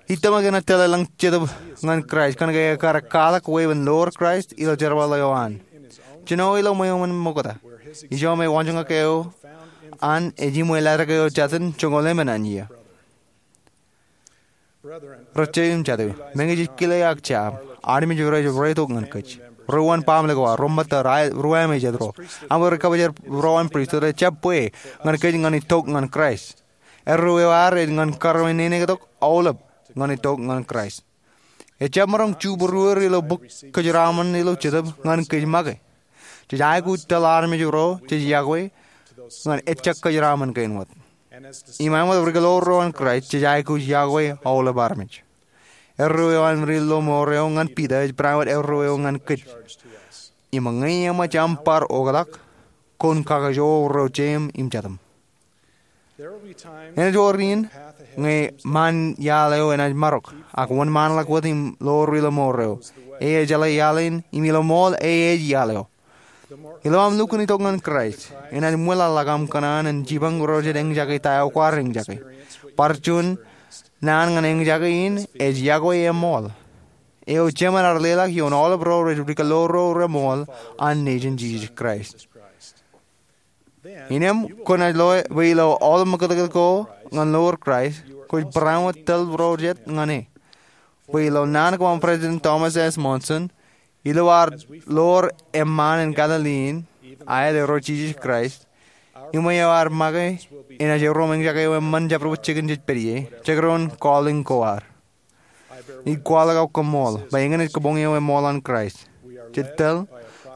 Ij tōmak enaaj tōl eḷaññe Jetōb ñan Kraist kōnke ekar kwaḷọk wāween loor Kraist ilo jerbal eo an. Jino ilo ṃweo ṃōkta, ijo me waanjoñak eo an ej iṃwe ladik eo jātin joñoul emān an iiō. Rijjej im jatū, meñe jej kile ak jab, armej rej reitok ñan kōj. Ro uwaan baaṃle ko ad, ro ṃōttad, ro amejet ro, aṃ ri kabwijer ro an pristut, ejjab bwe ñan kōj ñan itok ñan Kraist. Erreo eo ad ej ñan karreoin neinektok aolep ñan itok ñan Kraist. Ejjab maroñ jubruer ilo bok kōjeraaṃṃan ilo Jetōb ñan kōj make. Jej aikuj tōl armej ro jej yokwe ñan ejjab kōjeraaṃṃan kein wōt. Im āinwōt rikeḷoor ro an Kraist, jej aikuj yokwe aolep armej. Erreo eo an ri lọmọọr eo ñan Piter ej barāinwōt erreo eo ñan kōj. Im ñe eṃōj aṃ bar oktak, kwōn kakajoor ro jeiṃ im jatūṃ. Enaaj wōr in ñe ṃaan iaḷ eo enaaj marok, ak wōnṃaanḷọk wōt im loor ri lọmọọr eo. E ejeḷā iaḷ in, im ilo ṃool e ej iaḷ eo. Ilo aṃ lukkuun itok ñan Kraist, enaaj ṃwilaḷḷọk aṃ kōṇaan in jipañ ro jet eñjake ta eo kwaar eñjake. Bar juon naan ñan eñjake in ej yokwe eṃool. Eo jemān ear leḷọk ioon aolep ro rej rikeḷoor ro reṃool an Nejin Jisōs Kraist. Innām kwōnaaj loe bwe ilo aolep ṃakūtkūt ko ñan loor Kraist, kwōj barāinwōt tōl ro jet ñan e. Bwe ilo naan kōṃṃan President Thomas S. Monson, ilo ad loor eṃṃaan in Galilee in, aet eo ro Jisōs Kraist, iṃwe eo ad make enaaj erom eñjake eo eṃṃan jabdewōt jikin jej pād ie, jekdọọn calling ko ad. Ij kwaḷọk aō koṃṃool bwe eñin ej kabuñ eo eṃool an Kraist. Jej tōl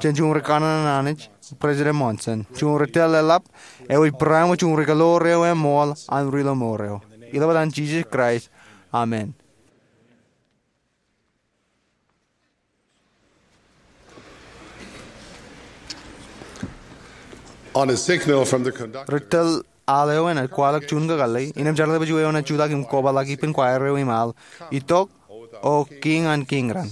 jān juon ri kanaan an Anij, President Monson, juon ri tōl eḷap eo ej barāinwōt juon ri kōḷoor eo eṃool an ri lọmọọr eo. Ilo etan Jisōs Kraist, amen. On a signal from the conductor, ri tōl aḷ eo enaaj kwaḷọk juon kakōḷḷe, innām jerbal bwe juon eo enaaj jutak im kobaḷọk ippān kwaer eo im aḷ, Itok, O Kiiñ an kiiñ raṇ.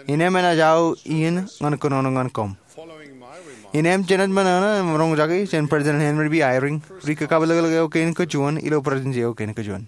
Innām enaaj aō iien ñan kōnono ñan koṃ. Innām jenaaj ṃōṇōṇō im roñjake jān President Henry B. Eyring, ri kakapeḷḷọk eo kein kajuon ilo Presidency eo kein kajuon.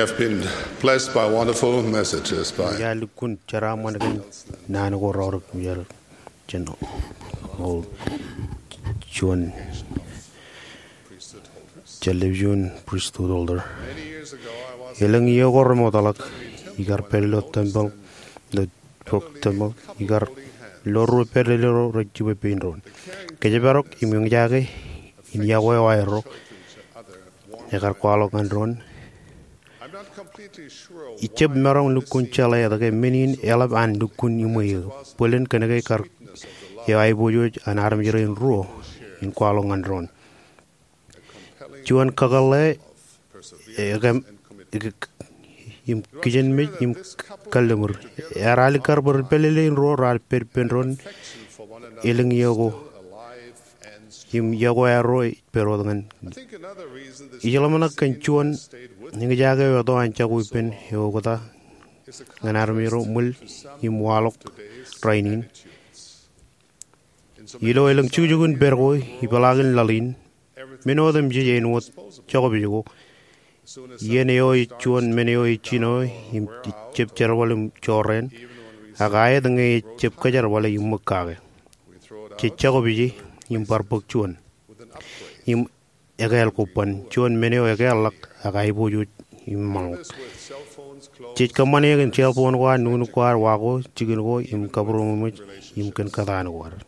I've been blessed by wonderful messages by Ij lukkuun jeraaṃṃan kōn naan ko raorōk im jar jān ol juon television priesthood holder. Elōñ iiō ko remootḷọk, ikar pād ilo tempeḷ, ilo bok tempeḷ, ikar lo ruo pād ilo ro rej jibwe pein doon. Kōjparok im eñjake in yokwe eo aerro ekar kwaḷọk ñan doon. Ij jab maroñ lukkuun jeḷā etke men in eḷap an lukkuun iṃwe eō. Bōlen kōnke kar eo aiboojoj an armej rein ruo in kwaḷọk ñan doon. Juon kakōḷḷe, ekōm, im kijenmej im kalliṃur. Ear alikkar bwe ri pālele in ruo raar pād ippān doon elōñ iiō ko im yokwe aerro ej pād wōt ñan. Ij ḷōmṇak kōn juon eñjake eo eto an jako ippān eokta ñan armej ro ṃwil im waḷọk rainin. Ilo elōñ jukjuk in pād ko, ipeḷaakin laḷ in, men otemjej āinwōt jokpej ko. Iien eo ej juon men eo ej jino im jab jerbal im jorrāān, ak aet ñe ej jab kōjerbale im ṃōk kake. Jej jokpeje im bar bōk juon im ekāāl kobban, juon men eo ekāālḷọk ak aiboojoj im ṃōṇōṇō. Jej kōṃṃane kōn cell phone ko ad, nuknuk ko ad, wa ko, jikin ko im kabūroṃōj im kōn kōtaan ko ad.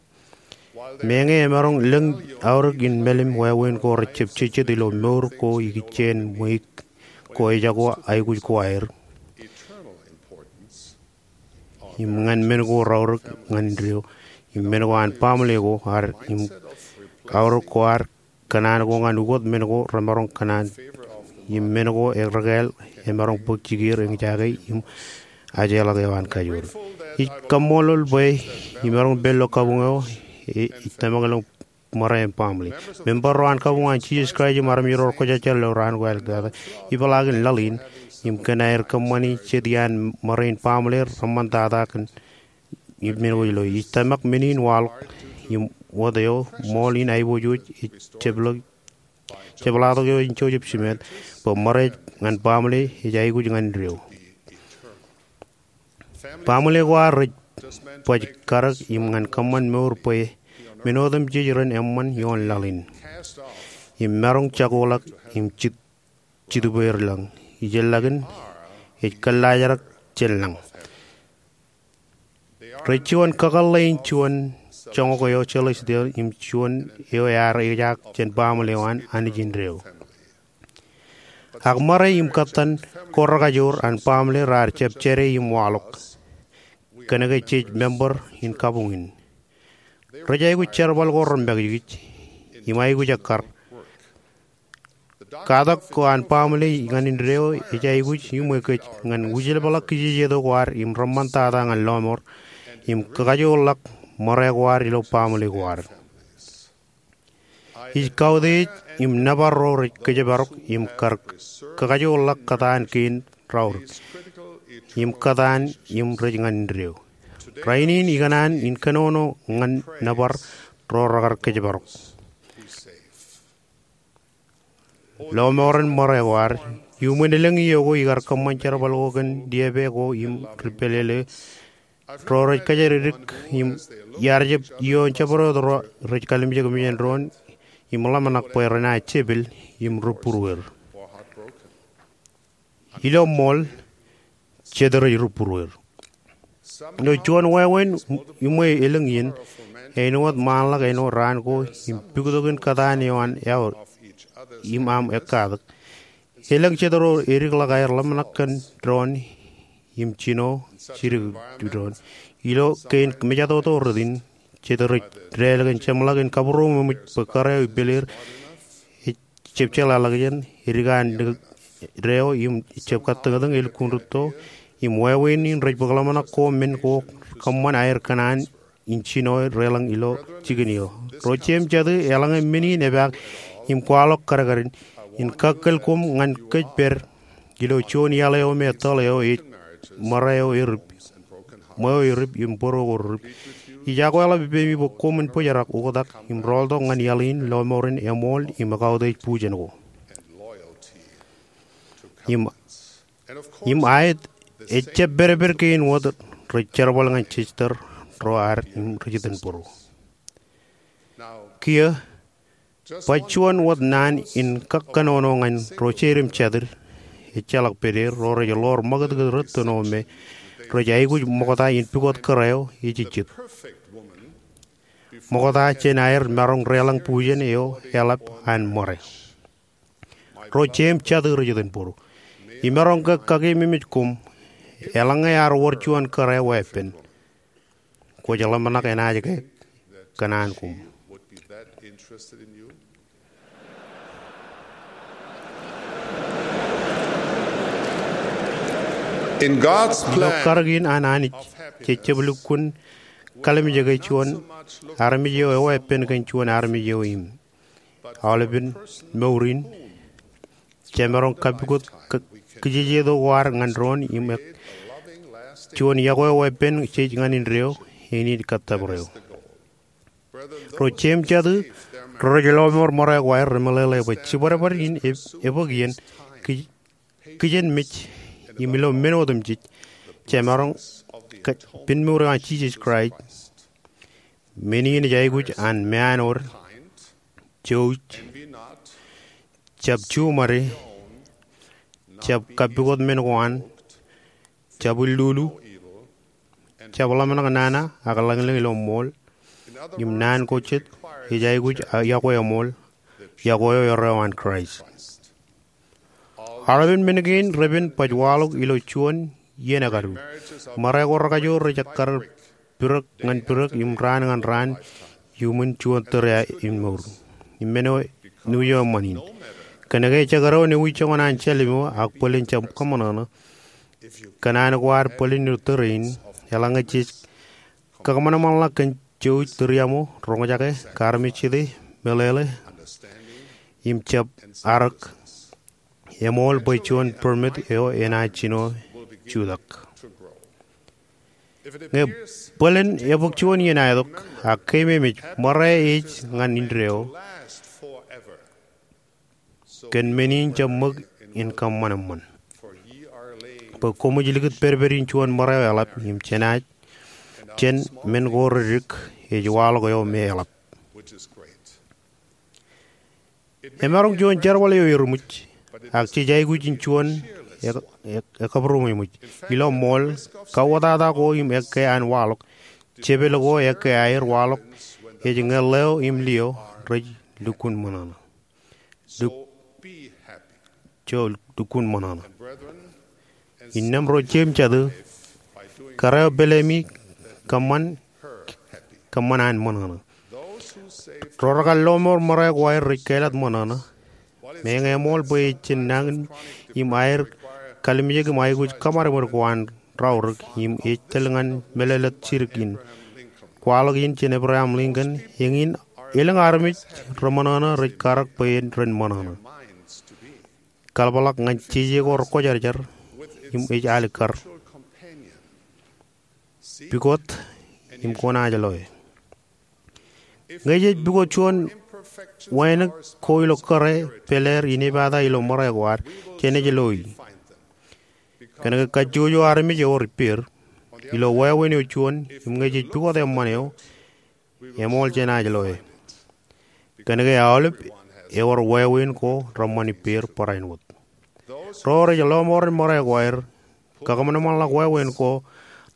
Meñe emaroñ lōñ aorōk in mālim wāween ko rejjab jejjet ilo mour ko ikijjien ṃweiuk ko ejako aikuj ko aer im ñan men ko raorōk ñan indeeo im men ko an baaṃle ko ad im aorōk ko ad kōṇaan ko ñan ukot men ko remaroñ kōṇaan im men ko rekāāl emaroñ bōk jikier eñjake im ajeḷọk eo an kajoor. Ij kaṃṃoolol bwe imaroñ pād ilo kabuñ eo ej tōmak ilo ṃōrā im baaṃle. Member ro an kabuñ an Jisōs Kraist im armej ro rekwōjarjar ilo raan ko aer kate, ipeḷaakin laḷ in im kōn aer kōṃṃani jet iaan ṃōrā in baaṃle reṃṃantata kōn im men ko ilo. Ij tōmak men in waḷọk im wōt eo ṃool in aiboojoj ej jepḷaak, jepḷaaktok eo in Joseph Smith bwe ṃōrā eo ñan baaṃle ej aikuj ñan indeeo. Baaṃle ko ad rej baj karōk im ñan kōṃṃan mour bwe men otemjej ren eṃṃan ioon laḷ in im maroñ jakoḷọk im jitubweer lañ. Ijellọkin ej kōllaajrak jān lañ. Rej juon kakōḷḷe in juon joñak eo celestial im juon eo ear ejaak jān baaṃle eo an Anij indeeo. Ak ṃōrā im kōttan ko rekajoor an baaṃle raar jab jade im waḷọk kōnke jej member in kabuñ in. Rej aikuj jerbal ko remakijkij im aikuj ekkar. Katak ko an baaṃle ñan indeeo ej aikuj iṃwe kōj ñan wūjlepḷọk kijejeto ko ad im reṃṃantata ñan lọmọọr im kakajoorḷọk ṃōrā ko ad ilo baaṃle ko ad. Ij kautiej im nōbar ro rej kōjparok im kar kakajoorḷọk kōtaan kein raorōk im kōtaan im rej ñan indeeo. Rainin ikōṇaan in kōnono ñan nōbar ro rekar kōjparok. Lọmọọren ṃōrā ko ad, iuṃwin elōñ iiō ko ikar kōṃṃan jerbal ko kōn diepe ko im ri pālele ro rej kōjatdikdik im iar jab iioon jabdewōt ro rej kalimjek mejān doon im ḷōmṇak bwe renaaj jepel im ri būrueir. Ilo ṃool, jet rej ri būrueir. Ilo juon wāween iṃwe elōñ iien, āinwōt ṃaanḷọk āinwōt raan ko im puktokin kōtaan eo an eo im aṃ ekkatak. Elōñ jet ro edikḷọk aer ḷōmṇak kōn doon im jino jidik doon. Ilo kein mejatoto rot in, jet rej dālōkḷọk im jeṃḷọk in kabūroṃōj bwe kōrā eo ippāleir ej jab jeḷāḷọkjeṇ, edik an deo im jab kattōñtōñ elukkuun rūtto, im wāween in rej bōk ḷōmṇak ko men ko kōṃṃan aer kōṇaan in jino deḷọñ ilo jikin eo. Ro jeiū im jatū, eḷaññe men in epaak im kwaḷọk kadkadin, in kakkōl koṃ ñan kōj pād ilo juon iaḷ eo me tōl eo ej ṃōrā eo erip, ṃweo erip im bōro ko rip. Ij akweḷap ippemi bwe koṃwin bōjrak, oktak im rooltok ñan iaḷ in, lọmọọren eṃool im kautiej bujen ko. Im Im aet, ejjab pedped kein wōt rej jerbal ñan sister ro ad im ri jitōnbōro. Kiiō, ba juon wōt naan in kōnono ñan ro jeid im jatid, ejjeḷọk pād er, ro rej ḷoor ṃakūtkūt rūttono me rej aikuj ṃokta in pukot kōrā eo ejejjet. Ṃokta jān aer maroñ deḷọñ bujen eo eḷap an ṃōrā. Ro jeid im jatid ri jitōnbōro, imaroñ ke kakeememej koṃ, eḷaññe ear wōr juon kōrā weeppān, kwōj ḷōmṇak enaaj ke kōṇaan koṃ. Ilo karōk in an Anij, jej jab lukkuun kalimjeke juon armej eo eweeppān kōn juon armej eo im. Aolepen mour in, jemaroñ kapukot kijejeto ko ad ñan doon im juon yokwe eo weeppān jej ñan indeeo, eñin kōttōpar eo. Ro jeid im jatid, ro rej lọmọọr ṃōrā ko aer remeḷeḷe bwe jibadbad in ebōk iien kijenmej im ilo men otemjej, jemaroñ pen mour eo an Jisōs Kraist, men in ej aikuj an meanwōd, jouj, jab juṃade, jab kapukot men ko an, jab ilulu, jab ḷōmṇak nana ak lañlōñ ilo ṃool, im naan ko jet ej aikuj yokwe eṃool, yokwe eo erreo an Kraist. Aolepen men kein repen baj waḷọk ilo juon iien ekadu. Ṃōrā ko rekajoor rej ekkar bidōk ñan bidōk im raan ñan raan iuṃwin juon tōre in mour. Im men eo nu eo eṃṃan in. Kōnke ejjeḷọk eo ewi joñan an Jālimo ak bōlen jab kōṃanōṇō, kōṇaan ko ad bōlen ilo tōre in, eḷaññe jej kakōṃanṃanḷọk kōn jouj, tūriaṃo, roñjake, armej jete, meḷeḷe, im jab arōk, eṃool bwe juon permit eo enaaj jino jutak. Ñe bōlen ebōk juon iien aetok, ak keememej ṃōrā ej ñan indeeo, kōn men in jab ṃōk in kōṃṃan eṃṃan. Bwe koṃij likūt pedped in juon ṃōrā eo eḷap im jenaaj, jān men ko reddik ej waḷọk eo me eḷap. Emaroñ juon jerbal eo eruṃwij, ak jej aikuj in juon e, e, ekabūroṃōj. Ilo ṃool, kauwōtata ko im ekkā an waḷọk, jepel ko ekkā aer waḷọk, ej ñe ḷeo im liō rej lukkuun ṃōṇōṇō. Luk, jo lukkuun ṃōṇōṇō. Innām ro jeid im jatid, kōrā eo pālemi kōṃṃan, kōṃṃan an ṃōṇōṇō. Ro rekar lọmọọr ṃōrā ko aer rej kāālōt ṃōṇōṇō. Meñe eṃool bwe ejjab nañinmej im aer kalimjek im aikuj kōṃadṃōd ko an raorōk im ej tōl ñan mālōtlōt jidik in. Kwaḷọk in jān Abraham Lincoln, eñin elōñ armej reṃōṇōṇō rej karōk bwe ren ṃōṇōṇō. Kaḷapḷọk ñan jeje ko rekwōjarjar im ej alikkar. Pukot im kwōnaaj loe. Ñe jej pukot juon wānōk ko ilo kōrā, pāleer, inepata ilo ṃōrā ko ad, jenaaj loe. Kōnke kajjojo armej ewōr ippāer. Ilo wāween eo juon, im ñe jej pukot eṃṃan eo, eṃool jenaaj loe. Kōnke aolep ewōr wāween ko reṃṃan ippāer barāinwōt. Ro rej lọmọọren ṃōrā ko aer, kakōṃanṃanḷọk wāween ko,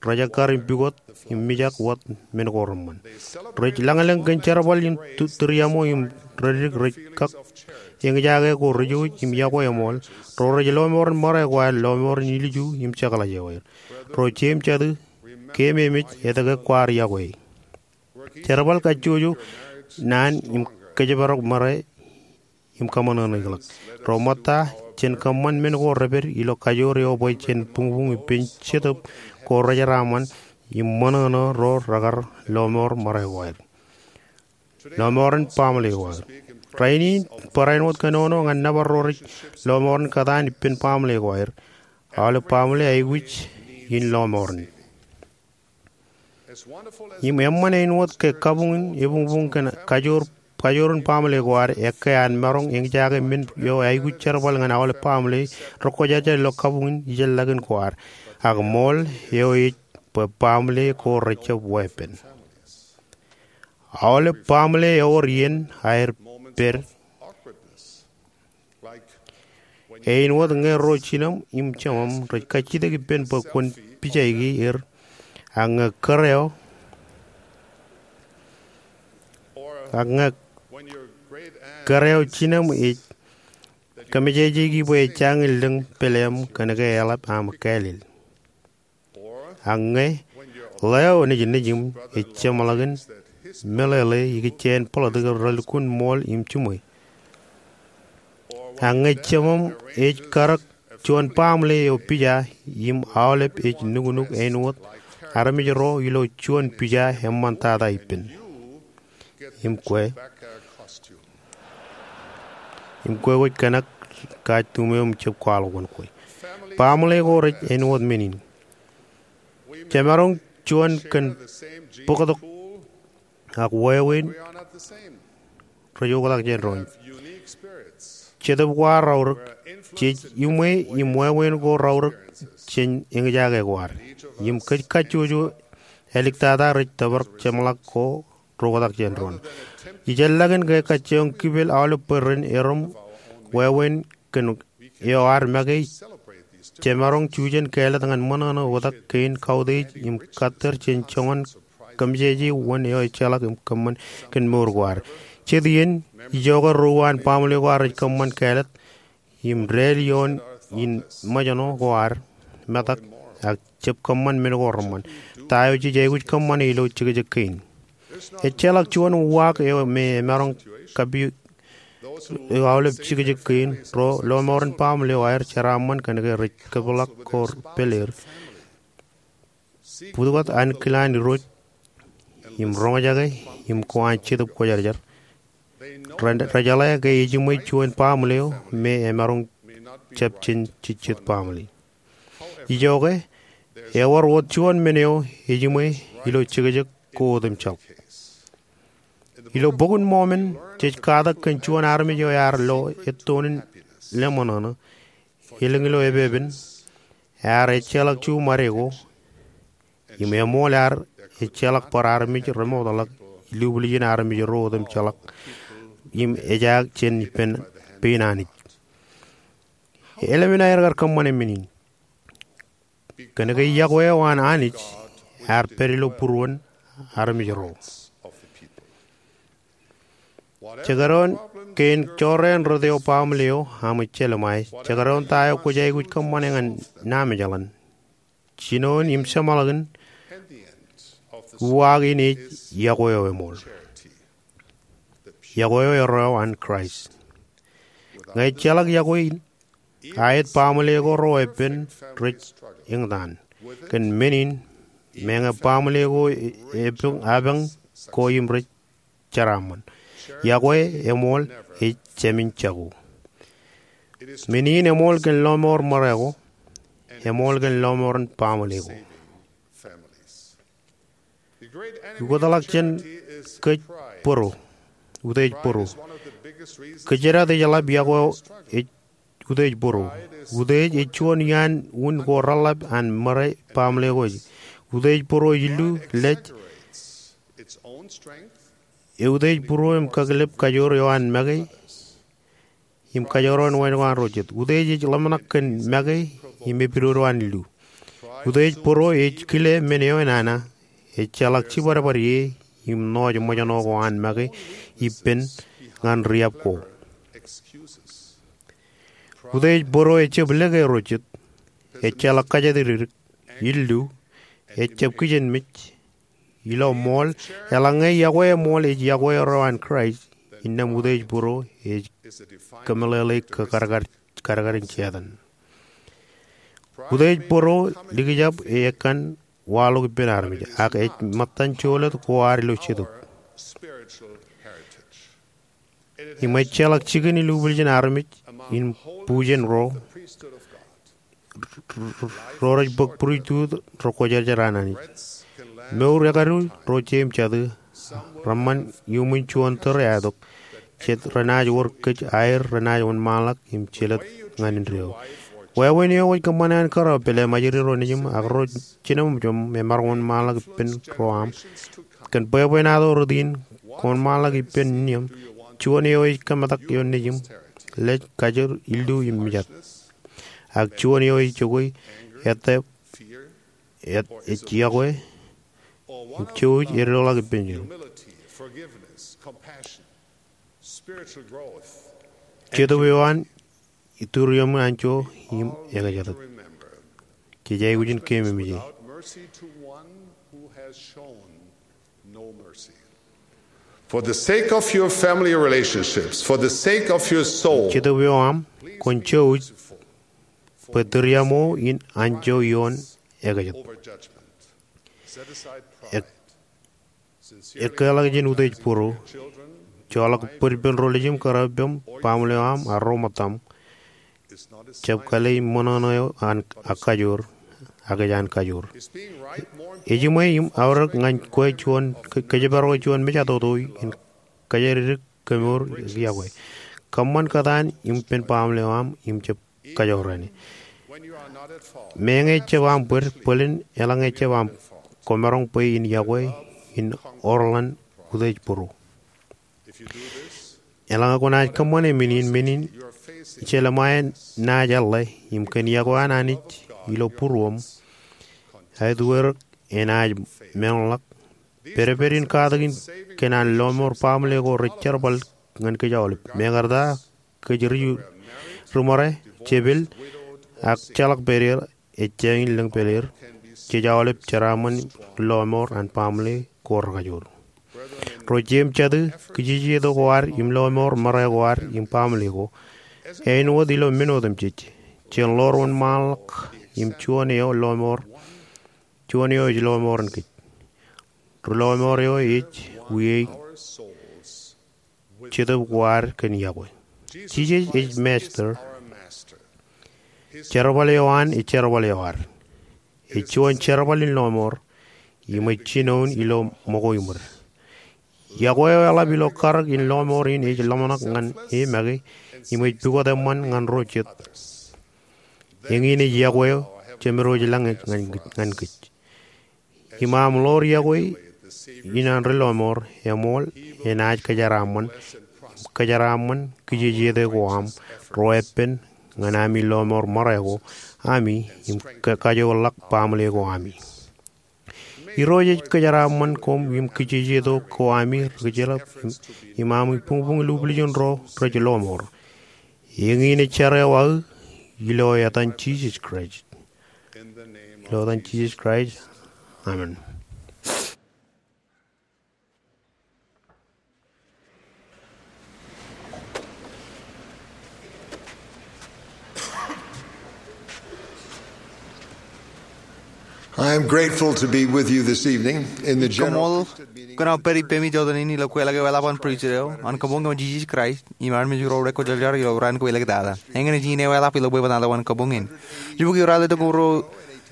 rejakkar im pukot im mijak wōt men ko reṃṃan. Rej lañlōñ kōn jerbal in tūriaṃo im reddik rej kak eñjake ko rijouj im yokwe eṃool. Ro rej lọmọọren ṃōrā ko aer lọmọọren ilju im jekḷaj eo aer. Ro jeid im jatid, keememej etke kwaar yokwe. Jerbal kajjojo naan im kōjparok ṃōrā im kōṃōṇōṇō ikōḷọk. Ro ṃōtta jān kōṃṃan men ko repād ilo kajoor eo bwe jen buñbuñ ippān Jetōb ko rejeraaṃṃan im ṃōṇōṇō ro rekar lọmọọr ṃōrā ko aer. Lọmọọren baaṃle ko aer. Rainin barāinwōt kōnono ñan nōbar ro rej lọmọọren kōtaan ippān baaṃle ko aer. Aolep baaṃle aikuj in lọmọọren. Im eṃṃan āinwōt ke kabuñ in ebuñbuñ kōn kajoor kajoor in baaṃle ko ad, ekkā an maroñ eñjake men eo aikuj jerbal ñan aolep baaṃle rekwōjarjar ilo kabuñ in ijellọkin ko ad. Ak ṃool eo ej bwe baaṃle ko rejjab weeppān. Aolep baaṃle ewōr iien aer pād. Āinwōt ñe ro jinem im jemem rej kajjitōk ippān bwe kwōn pijaiki er, ak ñe kōrā eo, ak ñe kōrā eo jinem ej kōmejejeiki bwe ejjañin lōñ pāleem kōnke eḷap aṃ kālel. Ak ñe ḷeo nejinnej im ej jeṃḷọkin meḷeḷe ikijjien political relukkuun ṃool im jiṃwe. Ak ñe jemem ej karōk juon baaṃle eo pija im aolep ej nuknuk āinwōt armej ro ilo juon pija eṃṃantata ippān. Im kwe, im kwe kwōj kōnak kajjitōk eo im jab kwaḷọk wōn kwe. Baaṃle ko rej āinwōt men in. Jemaroñ juon kōn bōktok ak wāween rej oktak jān doon. Jetōb ko ad raorōk, jej iṃwe im wāween ko raorōk jān eñjake ko ad. Im kōj kajjojo āliktata rej tōprak jeṃḷọk ko reoktak jān doon. Ijellọkin ke kajjioñ kipel aolep bwe ren erom wāween kōn eo ad make, jemaroñ jujen kāālōt ñan ṃōṇōṇō oktak kein kautiej im kattōr jān joñan kōmmejeje wōn eo ejjeḷọk im kōṃṃan kōn mour ko ad. Jet iien, ijoke ro uwaan baaṃle ko ad rej kōṃṃan kāālōt im dāl ioon in ṃōjṇọ ko ad metak ak jab kōṃṃan men ko reṃṃan. Ta eo jej aikuj kōṃṃane ilo jekjek kein? Ejjeḷọk juon uwaak eo me emaroñ kapijukuj ilo aolep jekjek kein. Ro lọmọọren baaṃle eo aer jeraaṃṃan kōnke rej kōpeḷḷọk ko pāleer. Bōktok ankilaan Irooj im roñjake im ko an Jetōb Kwōjarjar. Re, rejeḷā ke ejiṃwe juon baaṃle eo me emaroñ jab jān jejjet baaṃle. Ijoke, ewōr wōt juon men eo ejiṃwe ilo jekjek ko otemjeḷọk. Ilo Bok in Mọmọn, jej katak kōn juon armej eo ear lo ettoon in leṃōṇōṇō, elōñ ilo epepen, ear ejjeḷọk juṃade ko, im eṃool ear ejjeḷọk bar armej remootḷọk ilubwiljin armej ro otemjeḷọk im ejaak jān ippān pein Anij. Eḷap in aer kar kōṃṃane men in. Kōnke yokwe eo an Anij ear pād ilo būruon armej ro. Jekdọọn kein jorrāān rot eo baaṃle eo aṃ ejjeḷọk ṃae, jekdọọn ta eo kwōj aikuj kōṃṃane ñan namejeḷan, jinoin im jeṃḷọkin, uwaak in ej yokwe eo eṃool. Yokwe eo erreo an Kraist. Ñe ejjeḷọk yokwe in, aet baaṃle ko ro epen rej eñtaan. Kōn men in, meñe baaṃle ko e, epañ, apañ ko im rej jeraaṃṃan. Yokwe eṃool ej jāmin jako. Men in eṃool kōn lọmọọr ṃōrā ko, eṃool kōn lọmọọren baaṃle ko. Ukōtḷọk jān kōj bōro, utiej bōro. Kōjdat ej ḷap yokwe eo ej utiej bōro. Utiej ej juon iaan un ko reḷap an ṃōrā baaṃle ko ej. Utiej bōro ej illu, lej, eutiej būruō im kakilep kajoor eo an make im kajoor eo an wānōk an ro jet. Utiej ej ḷōmṇak kōn make im epidodo an illu. Utiej bōro ej kile men eo enana, ejjeḷọk jibadbad ie im ṇooj ṃōjṇọ ko an make ippān ñan riab ko. Utiej bōro ejjab lōke ro jet, ejjeḷọk kajjitōk, illu, ejjab kijenmej, ilo ṃool, eḷaññe yokwe eṃool ej yokwe erreo an Kraist, innām utiej bōro ej kōmeḷeḷeik ke kadkad, kadkadin Setan. Utiej bōro likjab ekkan waḷọk ippān armej, ak ej ṃōttan jolōt ko ad ilo Jetōb. Im ejjeḷọk jikin ilubwiljin armej in bujen ro, ro rej bōk pristut rekwōjarjar an Anij. Mour ekadu ro jeiū im jatū, Reṃṃan iuṃwin juon tōre aetok. Jet renaaj wōr kōj aer renaaj wōnṃaanḷọk im jelōt ñan indeeo. Wāween eo kwōj kōṃṃane an kōrā pālle ṃajeḷ ro nejūṃ ak ro jinoṃōjṃ emaroñ wōnṃaanḷọk ippān ro aṃ. Kōn bwebwenato rot in, kwōn ṃaanḷọk ippān niōṃ. Juon eo ej kōmetak ioon nejūṃ, lej, kajer, illu im mijat. Ak juon eo ej jokwe, ettā, ej yokwe, im jouj eddoḷọk ippān Jetōb eo an ituriaṃ anjọ im ekjatōk. Jej aikuj in keememej e. For the sake of your family relationships, for the sake of your soul, Jetōb eo aṃ, kwōn jouj bwe turiaṃo in anjọ ioon ekjatōk. Ekkeḷọk jān utiej būruō, joḷọk bōd ippān ro nejūṃ, kōrā eo aṃ, baaṃle eo aṃ, ak ro ṃōttaṃ. Jab kale im ṃōṇōṇō eo an ak kajoor, ak ej an kajoor. Ejiṃwe im aorōk ñan kwe juon, kōjparok juon mejatoto in kōjatdikdik kemour ak yokwe. Kōṃṃan kōtaan ippān baaṃle eo aṃ im jab kajorrāān. Meñe jab aṃ bōd, bōlen eḷaññe jab aṃ, kwōmaroñ bwe in yokwe in orḷọk utiej būruō. Eḷaññe kwōnaaj kōṃṃane men in, men in jeḷā ṃae naaj eḷḷā, im kōn yokwe an Anij ilo būruōṃ, aet wōr enaaj meḷọkḷọk. Pedped in katakin kōn an lọmọọr baaṃle ko rej jerbal ñan kōj aolep. Mekarta kōj ri, ri ṃare, jepel, ak jeḷak pād er, ejjañin lōñ pād er, jej aolep jeraaṃṃan lọmọọr an baaṃle ko rekajoor. Ro jeiū im jatū, kijejeto ko ad im lọmọọr ṃare ko ad im baaṃle ko āinwōt ilo men otemjej. Jen ḷoor wōnṃaanḷọk im juon eo lọmọọr, juon eo ej lọmọọren kōj. Ri lọmọọr eo ej wiaik Jetōb ko ad kōn yokwe. Jisōs ej Master. Jerbal eo an ej jerbal eo ad. Ej juon jerbal in lọmọọr, im ej jinoin ilo ṃōko im wōt. Yokwe eo eḷap ilo karōk in lọmọọr in ej ḷōmṇak ñan e make, im ej pukot eṃṃan ñan ro jet. Eñin ej yokwe eo Jemedwōj lañ ñan kōj. Im aṃ ḷoor yokwe in an ri lọmọọr, eṃool, enaaj kōjeraaṃṃan, kōjeraaṃṃan kijejeto ko aṃ, ro eppān, ñan ami lọmọọr ṃare ko ami, im kajoorḷọk baaṃle ko ami. Irooj ej kōjeraaṃṃan koṃ im kijejeto ko ami ri kōjjeḷā, im ami buñbuñ lubwiljin ro rej lọmọọr. Eñin ej jar eo aō, ilo etan Jisōs Kraist. Ilo etan Jisōs Kraist. Amen. I am grateful to be with you this evening in the general Ij kaṃṃoolol kōn aō pād ippemi jọteen in ilo kweilọk eo eḷap an pristut eo an kabuñ kōn Jisōs Kraist im armej ro rekwōjarjar ilo raan ko elōktata. Eñin ej iien eo eḷap ilo bwebwenato an kabuñ in. Jibukwi raelep itok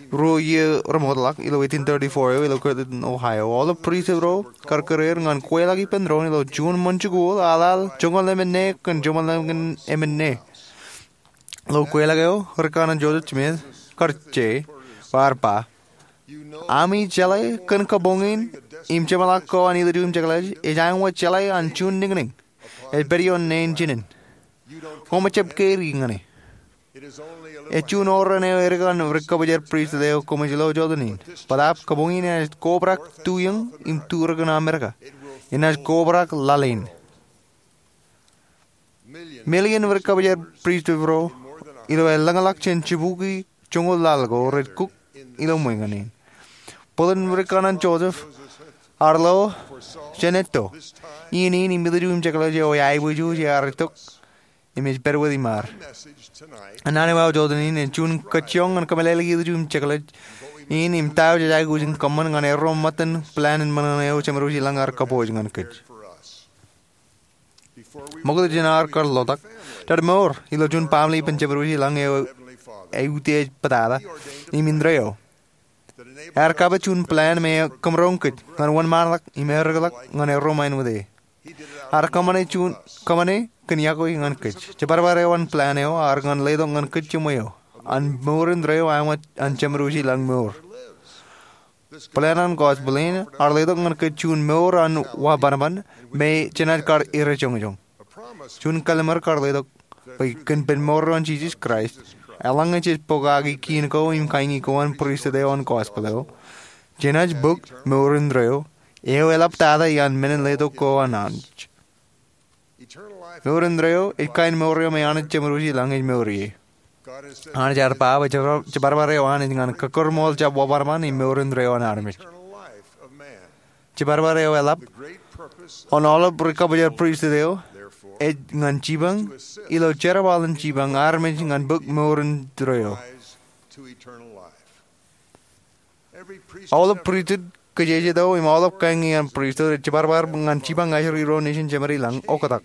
ruo iiō remootḷọk ilo eighteen thirty-four eo ilo Kirtland, Ohio, aolep pristut ro kar kōreer ñan kweilọk ippān doon ilo juon ṃōn jikuuḷ aḷaḷ joñoul emān ne kōn joñoul emān, emān ne. Ilo kweilọk eo, Ri Kanaan Joseph Smith kar je bar ba, ami jeḷā kōn kabuñ in im jeṃḷọk ko an Ilju im Jekḷaj ej āinwōt jeḷā an juon niñniñ ej pād ioon neen jinen. Koṃij jab carry ñan e. Ej juon oran eo edik an ri kōbōjrak pristut eo koṃij lo jọteen in. Bōtaab kabuñ in enaaj kobrak tu iiōñ im tu rikōn Amerika. Enaaj kobrak laḷ in. Million ri kōbōjrak pristut ro ilo elōñḷọk jān jibukwi joñoul laḷ ko rej kuk ilo ṃweiñan in. Bōlen Ri Kanaan Joseph ear lo jān etto. Iien in im Ilju im Jekḷaj eo eaiboojoj ear itok im ej pād wōt iṃaad. Naan eo aō jọteen in ej juon kajjioñ ñan kōmeḷeḷeik Ilju im Jekḷaj in im ta eo jej aikuj in kōṃṃan ñan erro ṃōttan plan in ṃōṇōṇō eo Jemedwōj ilañ ear kōpooj ñan kōj. Ṃokta jān ad kar lotak, jar mour ilo juon baaṃle ippān Jemedwōj ilañ eo eutiej pātata im indeeo. Ear kapit juon plan me ej kōmroñ kōj ñan wōnṃaanḷọk im erikḷọk ñan erro ṃain wōt e. Ear kōṃṃane juon, kōṃṃane kōn iọkwe ñan kōj. Jibadbad eo an plan eo ear ñan letok ñan kōj jiṃwe eo an mour indeeo āinwōt an jeṃdoji lañ mour. Plan an gospel in ear letok ñan kōj juon mour an wa bōnbōn me jenaaj kar ere joñjoñ. Juon kallim̧ur kar letok bwe kōn ippān mour eo an Jisōs Kraist, eḷaññe jej pokake kiiṇ ko im kaiñi ko an pristut eo an gospel eo, jenaaj bōk mour indeeo eo eḷap tata iaan men in letok ko an Anij. Mour indeeo ej kain mour eo me Anij jeṃdoji lañ ej mour ie. Anij ear ba bwe jibadbad eo an ej ñan kōkūrṃool jab wa bōnbōn im mour indeeo an armej. Jibadbad eo eḷap an aolep ri-kabōjrak pristut eo ej ñan jipañ ilo jerbal in jipañ armej ñan bōk mour indeeo. Aolep pristut kajjitōk im aolep kañin pristut ej jibadbad ñan jipañ ajri ro nejin jeṃadi lañ oktak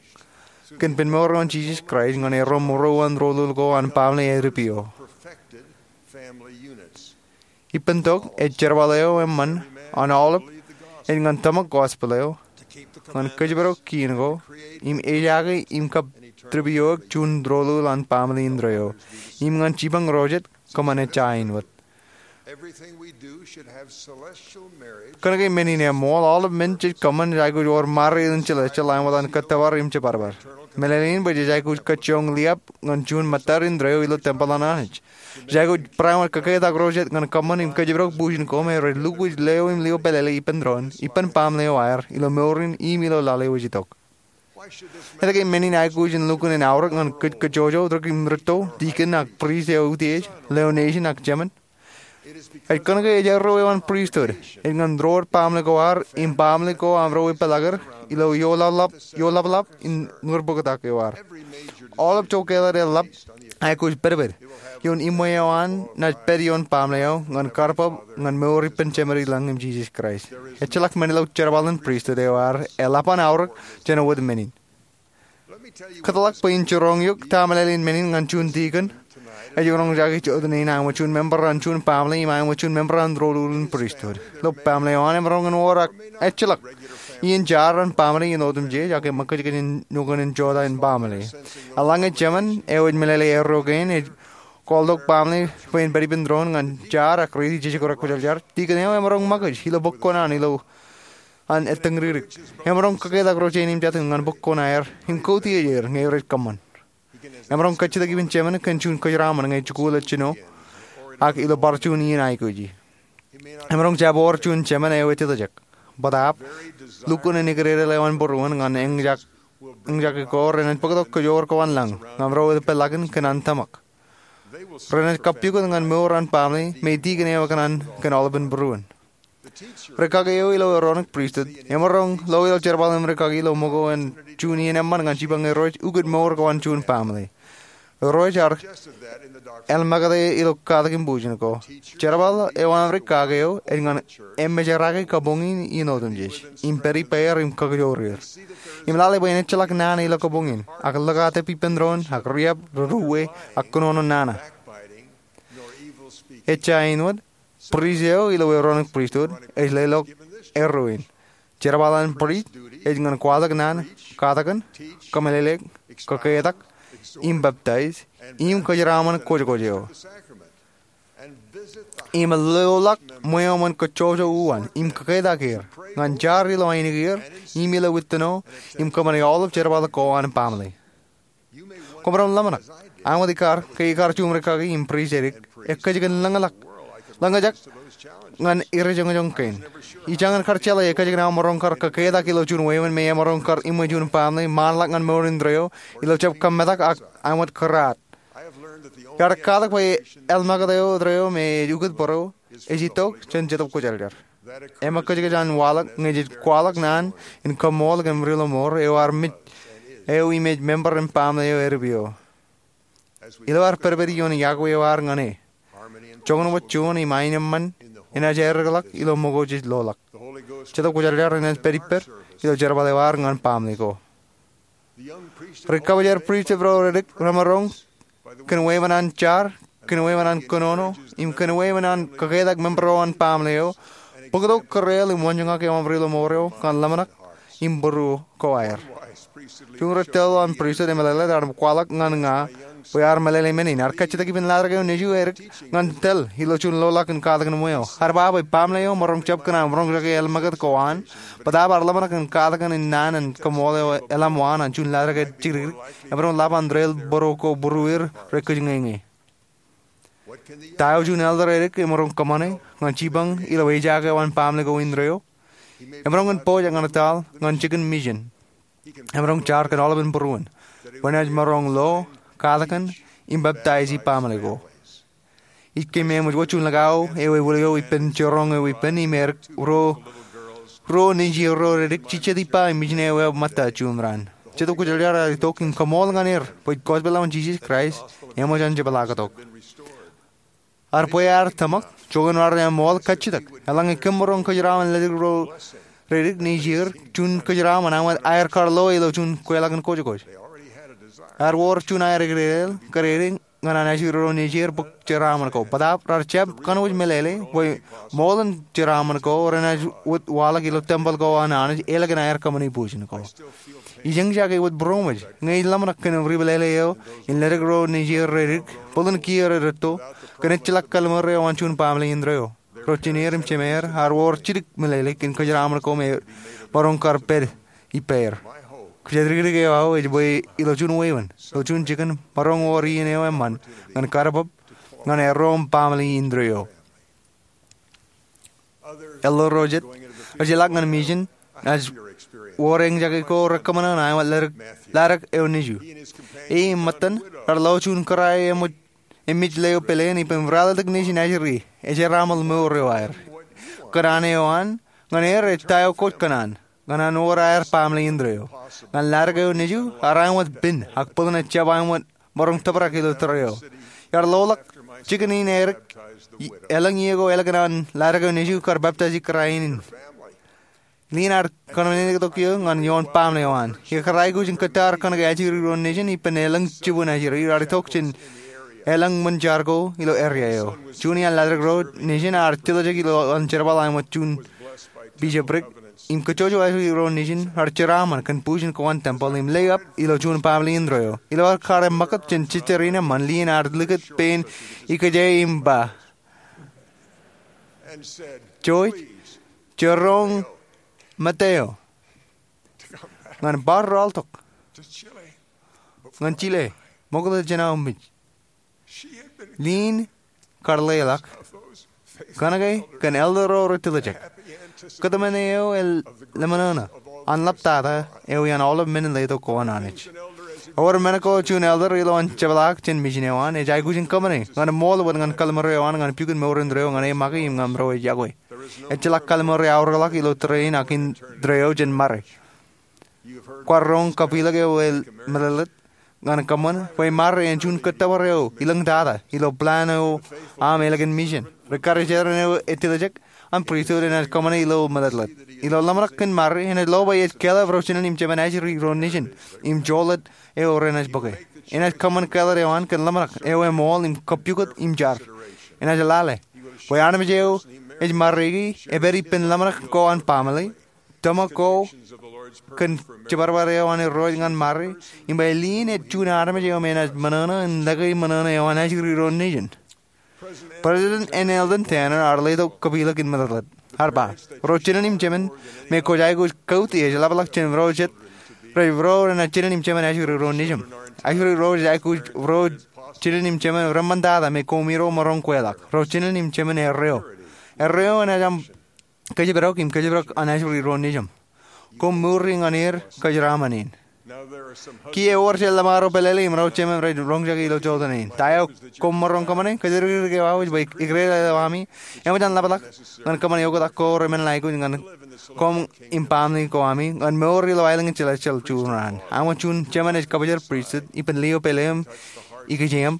kōn ippān mour eo an Jisōs Kraist ñan erro ṃōrro an doulul ko an baaṃle edipeo. Ippān tok ej jerbal eo eṃṃan an aolep ej ñan tōmak gospel eo, ñan kōjparok kiiṇ ko, im ejaake im kab tipioik juon doulul an baaṃle indeeo, im ñan jipañ ro jet kōṃṃan ejja āinwōt. Kōnke men in eṃool, aolep men jej kōṃṃan jej aikuj wōr mariin celestial āinwōt an kōttōpar im jibadbad. Meḷeḷein bwe jej aikuj kajjioñ liab ñan juon ṃōttad indeeo ilo tempel an Anij. Jej aikuj barāinwōt kōketak ro jet ñan kōṃṃan im kōjparok bujen ko me rej lukwōj leo im lio pālele ippān doon, ippān baaṃle eo aer, ilo mour in im ilo lale eo ej itok. Etke men in aikuj in lukkuun in aorōk ñan kōj kajjojo, tok im rūtto, dikon ak prist eo utiej, leo nejin ak jemān? Ej kōnke ejerro eo an pristut ej ñan ro rej baaṃle ko ad im baaṃle ko aṃ ro epālọk er ilo ioḷaḷḷap, ioḷaḷḷap in ñūrbōktak eo ad. Aolep jokāālōt eḷap aikuj pedped ioon iṃwe eo an naaj pād ioon baaṃle eo ñan karbab ñan mour ippān jeṃadi lañ im Jisōs Kraist. Ejjeḷọk men ilo jerbal in pristut eo ad eḷap an aorōk jān wōt men in. Kōtḷọk bwe in jiroñ eok ta meḷeḷein men in ñan juon dikon ej roñjake jota in āinwōt juon member an juon baaṃle im āinwōt juon member an doulul in pristut. Ilo baaṃle eo an emaroñ in wōr ak ejjeḷọk iien jaar an baaṃle in otemjej ak eṃōkajkōj in nukun in jota in baaṃle. Eḷaññe jemān eo ej meḷeḷe erro kein ej kwaḷtok baaṃle bwe en pād ippān doon ñan jaar ak riiti jekdọọn kwōjarjar, dikon eo emaroñ ṃōkaj ilo bōk kuṇaan ilo an ettōñdikdik. Emaroñ kōketak ro jein im jatūṃ ñan bōk kuṇaer im koutiej er ñe rej kōṃṃan. Emaroñ kajjitōk ippān jemān kōn juon kōjeraṃṃan ñe ej jikuuḷ ilo jino ak ilo bar juon iien aikuji. Emaroñ jab wōr juon jemān eo ej tōjak. Bōtaab, lukkuun in ededeḷọk eo an būruon ñan eñjake ko renaaj bōktok kōjoor ko an lañ ñan ro rej pād ḷọk in kōn an tōmak. Renaaj kappukot ñan mour an baaṃle me dikon eo ekōṇaan kōn aolepān būruon. Rikaki eo ilo Aaronic Pristut emaroñ lo ilo jerbal im rikaki ilo ṃōko an juon iien eṃṃan ñan jipañ erro rej ukōt mour ko an juon baaṃle. Erro rej ar elmakate ilo katak im bujen ko. Jerbal eo an rikaki eo ej ñan emejerake kabuñ in iien otemjej im pād ippāer im kakijoor er. Im lale bwe en ejjeḷọk naan ilo kabuñ in ak ḷōkatep ippān doon ak riab ri-uwe ak kōnono nana. Ejja āinwōt, prist eo ilo Aaronic Pristut ej leḷọk erro in. Jerbal an prist ej ñan kwaḷọk naan, katakin, kōmeḷeḷeik, kōketak, im peptaij, im kōjeraṃṃan kwōjkwōj eo. Im loḷọk ṃweo ṃōn kōjjojo uwaan im kōketak er ñan jar ilo ainikien im ilo wittino im kōṃṃane aolep jerbal ko an baaṃle. Kwōmaroñ ḷōmṇak, āinwōt ikar, ke ikar juṃ rikaki im prist edik, ekkejkan ḷōñḷọk, ḷōñjake ñan ere joñjoñ kein. Ijañin kar jeḷā ekkejkan aō maroñ kar kōketak ilo juon wāween me emaroñ kar iṃwe juon baaṃle ṃaanḷọk ñan mour indeeo ilo jab kōmmetak ak āinwōt kōrā. Iar katak bwe elmakate eo me ej ukōt bōro ej itok jān Jetōb Kwōjarjar. Eṃōkajkōj an waḷọk ñe jej kwaḷọk naan in kaṃṃoolol kōn ri-lọmọọr eo ear mej eo im ej member in baaṃle eo edipeo. Ilo ad pedped ioon iọkwe eo ad ñan e, joñan wōt juon im aenōṃṃan enaaj eddekḷọk ilo ṃōko jej loḷọk. Jetōb Kwōjarjar enaaj pād ippād ilo jerbal eo ad ñan baaṃle ko. Ri-kabōjrak pristut ro redik remaroñ kōn wāween an jar kōnweeṃṃan an kōnono im kōnweeṃṃan an kaketak member eo an baaṃle eo, bōktok kōreel im wōnjōñak eo aṃ ri ḷōṃaro ñan ḷōmṇak im būruo ko aer. Juon ri tōl eo an pristut emeḷeḷe ear kwaḷọk ñan ña bwe ear meḷeḷe men in, ear kajjitōk ippān laḷ eo nejū edik ñan tōl ilo juon loḷọk in katakin ṃweo. Ear ba bwe baaṃle eo maroñ jab kōṇaan roñjake elōñ ṃakūt ko an, bōtaab ear ḷōmṇak in katakin in naan in kaṃool eo eḷap waan an juon laḷ eo jidikdik emaroñ ḷap an rael būruo ko būrueir rej kōjñeñe. Ta eo juon elder edik emaroñ kōṃṃane ñan jipañ ilo ejaake eo an baaṃle ko indeeo? Emaroñ in pojak ñan etal ñan jikin misin. Emaroñ jar kōn aolepen būruon bwe enaaj maroñ lo, katakin, im peptaisi baaṃle ko. Ij kōmij wōj juon likao eo ewōr eo ippān jiroñ eo ippān im edik ruo, ruo nejier ro redik jejjet ippa im ijin eo eo ṃōtta juon raan. Jetōb Kwōjarjar ear itok im kaṃool ñan er bwe gospel eo an Jisōs Kraist eṃōj an jepḷaaktok. Ear bwe ear tōmak, joñan raar eṃool kajjitōk. Eḷaññe kōm maroñ kōjeraaṃṃan ledik ro redik nejier, juon kōjeraaṃṃan eo aer kar lo ilo juon kweilọk in kojkoj. Ear wōr juon aer eklejel kōrā ñan an ajri ro nejier bōk jeraaṃṃan ko. Bōtaab raar jab kōnwōj meḷeḷe bwe ṃool in jeraaṃṃan ko renaaj wōt waḷọk ilo tempel ko an Anij ālikin aer kōṃṃane pojin ko. Ij eñjake wōt būroṃōj ñe ij ḷōmṇak kōn ri meḷeḷe eo in ledik ro nejier redik, bōlen kiiō rej rūtto, kōn ejjeḷọk kallim̧ur eo an juon baaṃle indeeo. Ro jineer im jemeer ear wōr jidik meḷeḷe kōn kōjeraaṃṃan ko me maroñ kar pād ippāer. Kōjatdikdik eo aō ej bwe ilo juon wāween, ilo juon jikin, maroñ wōr iien eo eṃṃan ñan kar bōb ñan erro im baaṃle indeeo. Elder ro jet rej jeḷak ñan misin, naaj wōr eñjake ko rekōṃṃan ñan aṃ laḷ eo nejū. E im ṃōttan raar lo juon kōrā eo eṃōj eṃōj leo peleen ippān ralitōk nejin ajri, ejeraaṃṃan mour eo aer. Kōṇaan eo an ñan er ej ta eo kwōj kōṇaan ñan an wōr aer baaṃle indeeo. Ñan laḷ eo nejū ear aṃ wōt pen ak bōlen ejjab aṃ wōt maroñ tōprak ilo tōre eo. Iar loḷọk jikin in edik elōñ iiō ko ālikin an laḷ eo nejū kar peptaisi kōrā in. Lien ear kōnono tok iiō ñan ioon baaṃle eo an. Ikōrā aikuj in kōttar kōnke ajri ro nejin ippān elōñ jibwin ajri raar itok jān elōñ ṃōn jar ko ilo area eo. Juon iaan laḷ ro nejin ear jitōjak ilo an jerbal aṃ wōt juon bishopric im kōjjojo ajri ro nejin raar jeraaṃṃan kōn pojin ko an tempel im lewōj ilo juon baaṃle indeeo. Ilo ear kar eṃṃakūt jān jejjer in eṃṃan, lien ear likūt pein ikōjā im ba, Joe, jiroñ Mateo ñan bar rọọltok ñan Chile ṃokta jān aō mej. Lien kar leḷọk kōnke kōn elder ro rej tōlejek. Kōtmāne eo eḷap ṃōṇōṇō an ḷaptata eo iaan aolep men in letok ko an Anij. Ewōr men ko juon elder ilo an jepḷaak jān misin eo an ej aikuj in kōṃṃane ñan ṃool wōt ñan kallim̧ur eo an ñan pukot mour indeeo ñan e make im ñan ro ej yokwe. Ejjeḷọk kallim̧ur eaorōkḷọk ilo tōre in ak indeeo jān ṃare. Kwaar roñ kapilōk eo emeḷeḷeḷe ñan kōṃṃan bwe ṃare en juon kōttōpar eo ilōñtata ilo plan eo aṃ ālikin misin. Ri-Kūrjin eo ej tōlejek an pristut enaaj kōṃṃane ilo meḷeḷeḷe. Ilo ḷōmṇak kōn ṃare, enaaj lo bwe ej kāālōt ro jinen im jemān ajri ro nejin im joḷọk eo renaaj bōke. Enaaj kōṃṃan kāālōt eo an kōn ḷōmṇak eo eṃool im kōppukot im jar. Enaaj lale bwe armej eo ej ṃariki epād ippān ḷōmṇak ko an baaṃle, tōmak ko kōn jibadbad eo an Irooj ñan ṃare, im bwe lien ej juon armej eo me enaaj ṃōṇōṇō in lōke ṃōṇōṇō eo an ajri ro nejin. President N. Eldon Tanner ear letok kapilōk in meḷeḷeḷe. Ear ba, ro jinen im jemān me kwōj aikuj kautiej ḷapḷọk jān ro jet rej bro renaaj jinen im jemān ajri ro nejin. Ajri ro rej aikuj ro jinen im jemān reṃṃantata me koṃiro maroñ kweilọk. Ro jinen im jemān erreo. Erreo enaaj aṃ kōjparok im kōjparok an ajri ro nejin. Koṃ mour ñan er kōjeraaṃṃan in. Kiiō ewōr jet ḷōṃaro pālele im ro jemān rej roñjake ilo jotenin. Ta eo koṃ maroñ kōṃṃane? Kōjatdikdik eo aō ej bwe ikdeḷọñ eo ami eṃōj an ḷapḷọk ñan kōṃṃane oktak ko remenḷọk aikuj ñan koṃ im baaṃle ko ami ñan mour ilo aelōñ in celestial juon raan. Aṃ wōt juon jemān ej kabōjrak pristut ippān lio pāle im ikōjām.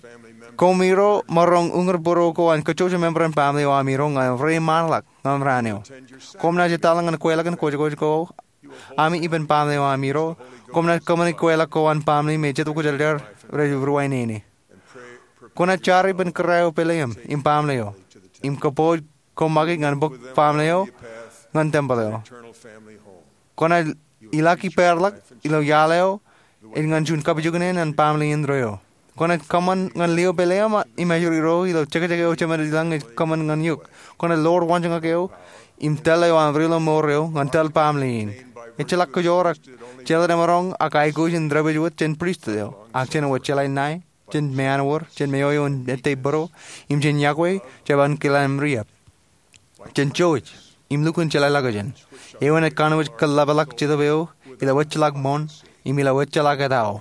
Koṃiro maroñ uñūr būruo ko an kōjjojo member in baaṃle eo amiro ñan reiṃaanḷọk ñan raan eo. Koṃ naaj etal ñan kweilọk in kōjkōj ko ami ippān baaṃle eo amiro. Koṃ naaj kōṃṃane kweilọk ko an baaṃle me Jetōb Kwōjarjar rej ruwainene. Kwōnaaj jar ippān kōrā eo pāle eṃ im baaṃle eo im kōpooj koṃṃaki ñan bok baaṃle eo ñan tempel eo. Kwōnaaj ilọk ippāerḷọk ilo iaḷ eo ej ñan juon kapijuknen an baaṃle indeeo. Kwōnaaj kōṃṃan ñan lio pāle eṃ im ajri ro ilo jekjek eo jemed ilañ ej kōṃṃan ñan eok. Kwōnaaj ḷoor waanjoñak eo im tōl eo aṃ ri ilo mour eo ñan tōl baaṃle in. Ejjeḷọk kōjoor ak jeḷā emaroñ ak aikuj in dāpij wōt jān pristut eo, ak jān wōt jeḷā ṇae, jān meanwōr, jān meoeo in ettā būruō, im jān iọkwe jeban kile im riab, jān jouj im lukkuun jeḷā ḷọkjeṇ, eo enaaj kanooj kōḷapḷọk Jetōb eo ilo ejjeḷọk ṃoṇ im ilo ejjeḷọk etao.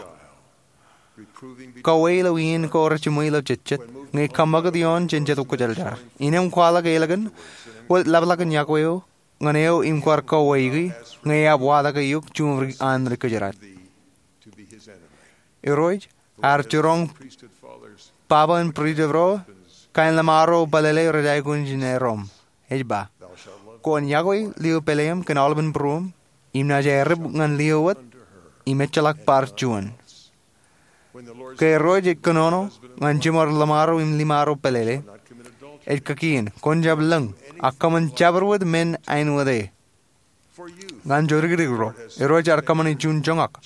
Kauwe ilo iien ko rejiṃwe ilo jejjet, ñe kōṃṃakūt ioon jān Jetōb Kwōjarjar. Innām kwaḷọk ālikin wōt ḷapḷọk in iọkwe eo ñan eo im kwaar kauweiki, ñe ear waḷọk eok juṃ ri an ri kōjdat. Irooj ear jiroñ baba in pristut ro kaenḷṃaer ro bōlele rej aikuj in erom. Ej ba, kwōn iọkwe lio pāle eṃ kōn aolepān būruōṃ, im naaj aerep ñan lio wōt im ejjeḷọk bar juon. Ke Irooj ej kōnono ñan jiṃor ḷōṃaro im ḷōṃaro bōlele, ej kakien, kwōn jab lōñ, ak kōṃṃan jabdewōt men āinwōt e. Ñan jodikdik ro, Irooj ear kōṃṃane juon joñak.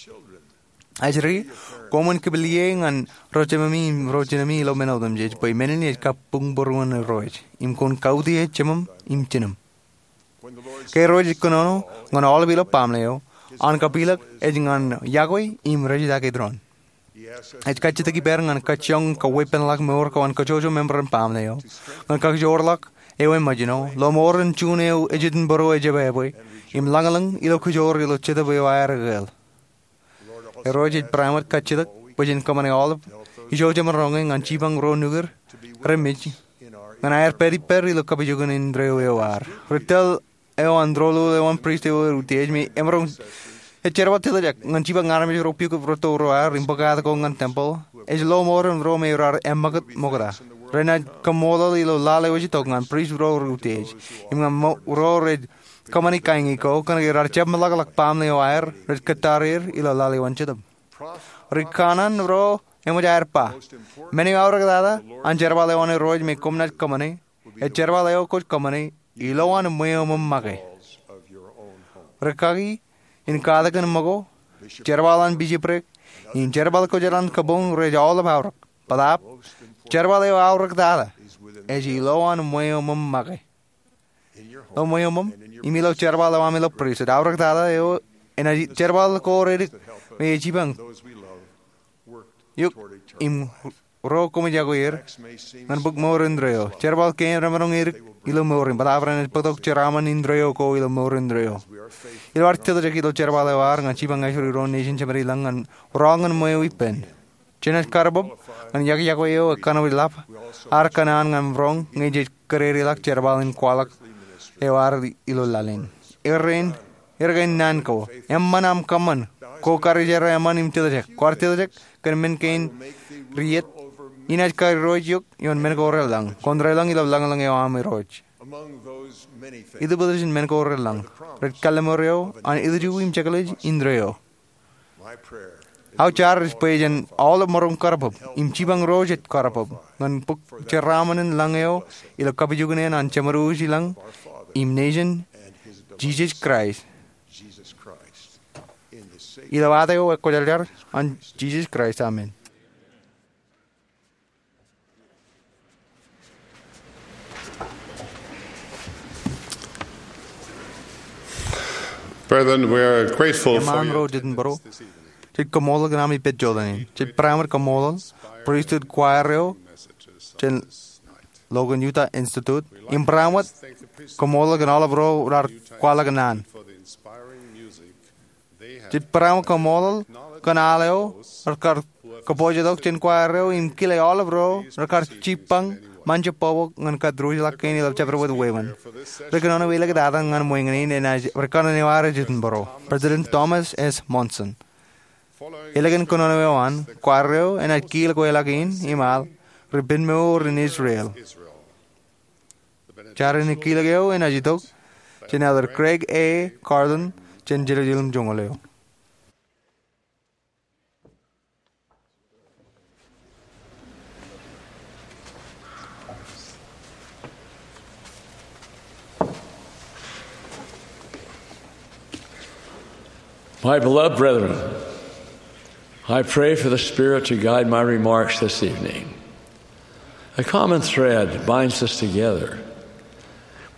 Ajri, koṃwin kipel ie ñan ro jememi im ro jinemi ilo men otemjej, bwe men in ej kab buñbūruon Irooj, im kwōn kautiej jeṃōṃ im jinōṃ. Ke Irooj ej kōnono ñan aolep ilo baaṃle eo, an kapilōk ej ñan iọkwe im rejjitōk doon. Ej kajjitōk ippāer ñan kajjioñ kawōnṃaanḷọk mour ko an kōjwōjwōj member in baaṃle eo, ñan kakijoorḷọk eo emōjṇo, lọmọọren juon eo ejitōnbōro ej jebebwe, im lañlōñ ilo kōjoor ilo Jetōb eo aer ekāāl. Irooj ej barāinwōt kajjitōk bwe jen kōṃṃane aolep ijo jemaroñ e ñan jipañ ro nukūr remej ñan aer pād ippād ilo kapijuknen indeeo eo ad. Ri tōl eo an doulul eo an pristut eo eutiej me emaroñ, ej jerbal tōtōjak ñan jipañ armej ro pukot rūtto ro aer im bōk ad ko ñan tempel, ej lọmọọren ro me raar eṃṃakūt ṃokta. Renaaj kaṃṃoolol ilo laḷ eo ej itok ñan pristut ro reutiej im ñan ro rej kōṃṃani kañin ko kōnke raar jab meḷọkḷọk baaṃle eo aer rej kōttar er ilo laḷ eo an Jetōb. Ri kanaan ro eṃōj aer ba, men eo aorōktata an jerbal eo an Irooj me koṃ naaj kōṃṃane, ej jerbal eo kwōj kōṃṃane ilowaan ṃweo ṃōṃ make. Ri kaki in katak in ṃōko, jerbal an bishopric, im jerbal ko jān an kabuñ rej aolep aorōk. Bōtaab, jerbal eo aorōktata ej ilowaan ṃweo ṃōṃ make. Ilo ṃweo ṃōṃ im ilo jerbal eo aṃ ilo pristut, aorōktata eo enaaj jerbal ko redik me ej jipañ eok im ro koṃij iọkwe er ñan bōk mour indeeo. Jerbal kein remaroñ edik ilo mour in, bōtaab renaaj bōktok jeraaṃṃan indeeo ko ilo mour indeeo. Ilo ad tōtōjak ilo jerbal eo ad ñan jipañ ajri ro nejin jemed ilañ ñan roñ ñan ṃweo ippān, jenaaj karōbōb ñan iọkiọkwe eo ekanooj ḷap ad kōṇaan ñan roñ ñe jej kōdedeḷọk jerbal in kwaḷọk eo ad ilo laḷ in. Erkein, erkein naan ko, eṃṃan aṃ kōṃṃan. Kwō karijer eṃṃan im tōtōjak. Kwaar tōtōjak kōn men kein rijet. Inaaj kairooj eok ioon men ko relōñ. Kwōn relōñ ilo lañlōñ eo aṃ Irooj. Itōpōt jān men ko relōñ, rej kallimur eo an ilju im jekḷaj indeeo. Aō jar ej bwe jen aolep maroñ karōbōb im jipañ ro jej karōbōb ñan bōk jeraaṃṃan in lañ eo ilo kapijuknen an Jemedwōj ilañ im Nejin, Jisōs Kraist. Ilo ad eo ekwōjarjar an Jisōs Kraist, amen. Brethren, we are grateful for Eṃṃan ro jitōnbōro. Jej kaṃṃoolol kōn aṃ ippān jota in. Jej barāinwōt kaṃṃoolol pristut kwaer eo jān Logan Utah Institute. Im barāinwōt kaṃṃoolol kōn aolep ro raar kwaḷọk naan. Jej barāinwōt kaṃṃoolol kōn al eo rekar kōpoojetok jān kwaer eo im kile aolep ro rekar jipañ ṃōn jab bōkbōk ñan kōtturuj ḷọk kein ilo jabdewōt wāween. Ri kōnono elōñ tata ñan ṃweo in enaaj ri kōnono eo aer ej jitōnbōro, President Thomas S. Monson. Elōñ kōnono eo an, kwaer eo enaaj kilōk wōt ḷọk in im al ri penmour in Israel. Jar in kilōk eo enaaj itok jān Elder Craig A. Carlin jān Jerusalem joñoul eo. My beloved brethren, I pray for the Spirit to guide my remarks this evening. A common thread binds us together.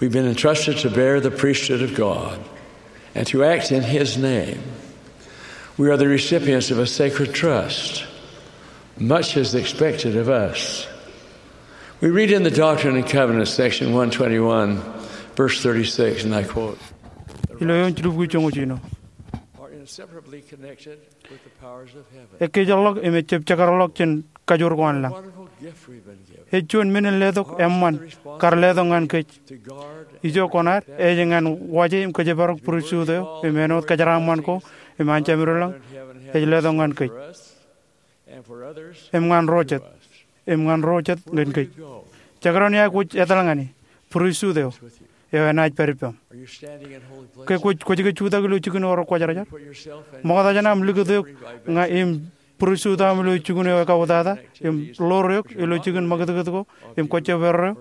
We've been entrusted to bear the priesthood of God and to act in His name. We are the recipients of a sacred trust. Much is expected of us. We read in the Doctrine and Covenants, section one twenty-one, verse thirty-six, and I quote, Ilo eoon jilubukwi joñoul jiljino, are inseparably connected with the powers of heaven. Ekkejjeḷọk im ejjab jekareḷọk jān kajoor ko an lañ. Wonderful gift we've been given. Ej juon men in letok eṃṃan kar letok ñan kōj. Ijo koṇaad ej ñan waje im kōjparok pristut eo im āinwōt kōjeraaṃṃan ko im anjāmin lañ ej letok ñan kōj im ñan ro jet, im ñan ro jet ñan kōj. Jekdọọn ia kwōj etal ñane, pristut eo, eo enaaj pād ippaṃ. Ke kwōj, kwōj ke jutak ilo jikin eo rekwōjarjar? Ṃokta jān aṃ likūt eok ña im pristut aṃ ilo jikin eo ekautata, im ḷoor eok ilo jikin ṃakūtkūt ko im kwōjjab erreo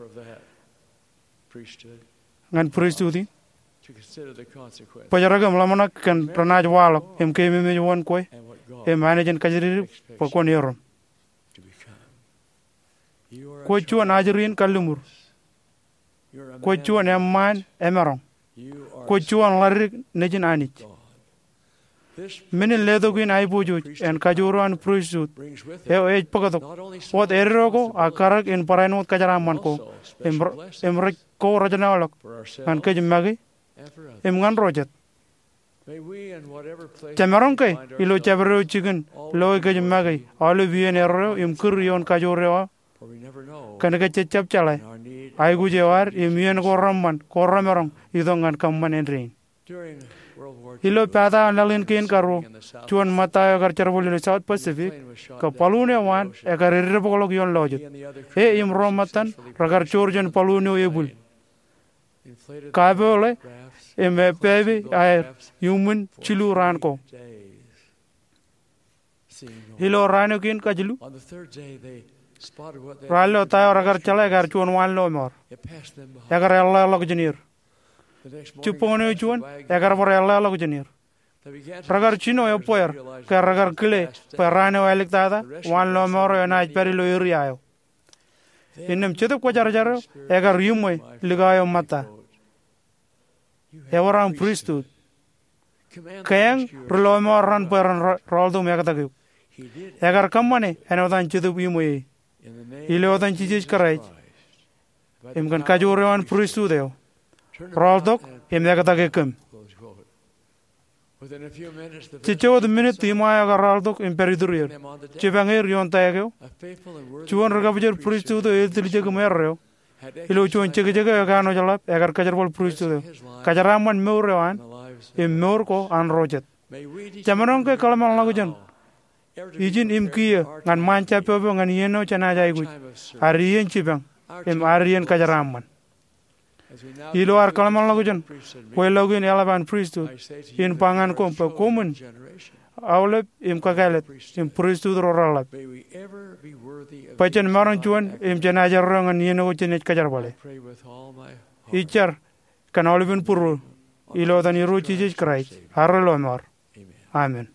ñan pristut in. Bōjrak im ḷōmṇak kōn renaaj waḷọk im keememej wōn kwe im Anij en kajjitōk bwe kwōn erom. Kwōj juon ajri in kalliṃur. Kwōj juon eṃṃaan emaroñ. Kwōj juon ḷaddik nejin Anij. Men in letok in aiboojoj en kajoor eo an pristut eo ej bōktok wōt eddo ko ak karōk in barāinwōt kōjeraaṃṃan ko im r-, im rej ko rejjeḷọk ñan kōj make im ñan ro jet. Jemaroñ ke ilo jabdewōt jikin lo kōj make aolep iien erreo im kūr ioon kajoor eo aō, kōn ke jejjab jeḷā aikuj eo ad im iien ko reṃṃan ko remaroñ itok ñan kōṃṃan āindein. Ilo pata laḷ in kein karuo, juon ṃōtta eo ekar jerbal ilo South Pacific, kab balloon eo an ekar eddebokḷọk ioon lọjet. E im ro ṃōttan rekar joor jān balloon eo ebwil. Kapoḷe im epepe aer iuṃwin jilu raan ko. Ilo raan eo kein kajilu, raar lo ta eo rekar jeḷā ekar juon waanlọmọọr. Ekar eḷḷāḷọkjeṇ er. Jibboñōn eo juon, ekar bar eḷḷāḷọkjeṇ er. Rekar jino ebbeer ke rekar kile bwe raan eo āliktata, waanlọmọọr eo enaaj pād ilo eria eo. Innām Jetōb Kwōjarjar eo ekar iṃwe likao eo ṃōtta. Ewōr aṃ pristut. Keeañ ri lọmọọr raṇ bwe ren ra-, rọọltok im ektak eok. Ekar kōṃṃane āinwōt an Jetōb iṃwe e. Ilo etan Jisōs Kraist im kōn kajoor eo an pristut eo, rọọltok im ektak e kōm. Jejjo wōt minit iṃa eo ekar rọọltok im pād itur er, jipañ er ioon taek eo, juon ri kabōjoj pristut eo etiljek im erreo, ilo juon jekjek eo ekanooj ḷap, ekar kōjerbal pristut eo, kōjeraaṃṃan mour eo an im mour ko an ro jet. Jemaroñ ke kōḷmānḷọkjeṇ ijin im kiiō ñan ṃaan jabbob eo ñan iien eo jenaaj aikuj, ad iien jipañ im ad iien kōjeraaṃṃan. Ilo ad kōḷmānḷọkjeṇ kweilọk in eḷap an pristut, in ba ñan koṃ bwe koṃwin aolep im kakāālōt im pristut ro reḷḷap, bwe jen maroñ juon im jenaaj erreo ñan iien ko jenaaj kōjerbale. Ij jar kōn aolepen būruō, ilo etan Irooj Jisōs Kraist, ad ri lọmọọr. Amen.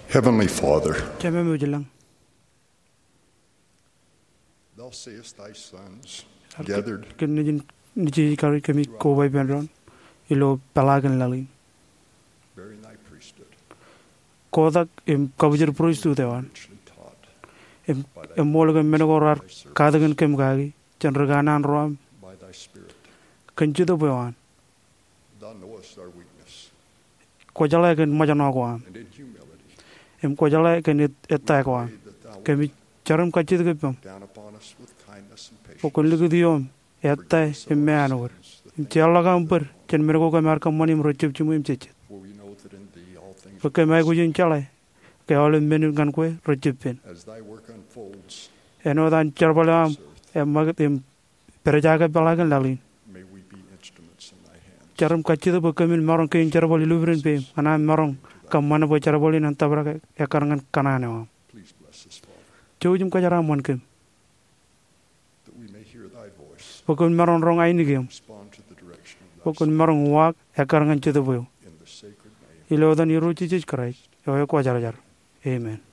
Heavenly Father, Jemem eo ej lañ, thou seest thy sons gathered, kōn Nejin, Nejin kar kōmij koba ippān doon ilo peḷaakin laḷ in, bearing thy priesthood, kotak im kabwijin priesthood eo an, richly taught, im, im ṃool kōn men ko raar katakin kōm kaki jān ri kanaan ro aṃ, by thy Spirit, kōn Jetōb eo an. Thou knowest our weakness. Kwō jeḷā kōn ṃōjṇọ ko am. And in humility, im kwō jeḷā kōn et-, ettā ko am. Kōmij jar im kajjitōk ippaṃ down upon us with kindness and patience, bwe kwōn likūt ioom ettā im meanwōd, im jeorḷọk aṃ bōd jān men ko kōm ar kōṃṃani im rejab jiṃwe im jejjet. For we know that in thee all things, bwe kōm aikuj in jeḷā ke aolep men ñan kwe rej jab pen. As thy work unfolds, āinwōt an jerbal eo aṃ eṃṃakūt im pād jaake peḷaakin laḷ in, may we be instruments in thy hands. Jar im kajjitōk bwe kōmin maroñ kein jerbal ilubdin peim ñan aṃ maroñ kōṃṃan bwe jerbal in en tōprak ekkar ñan kōṇaan eo aṃ. Please bless us, Father, jouj im kōjeraaṃṃan kōm, that we may hear thy voice, bwe kwōn maroñ roñ ainikieṃ, respond to the direction of thy, bwe kwōn maroñ waak ekkar ñan Jetōb eo. In the sacred name, ilo etan Irooj Jisōs Kraist eo ekwōjarjar, amen.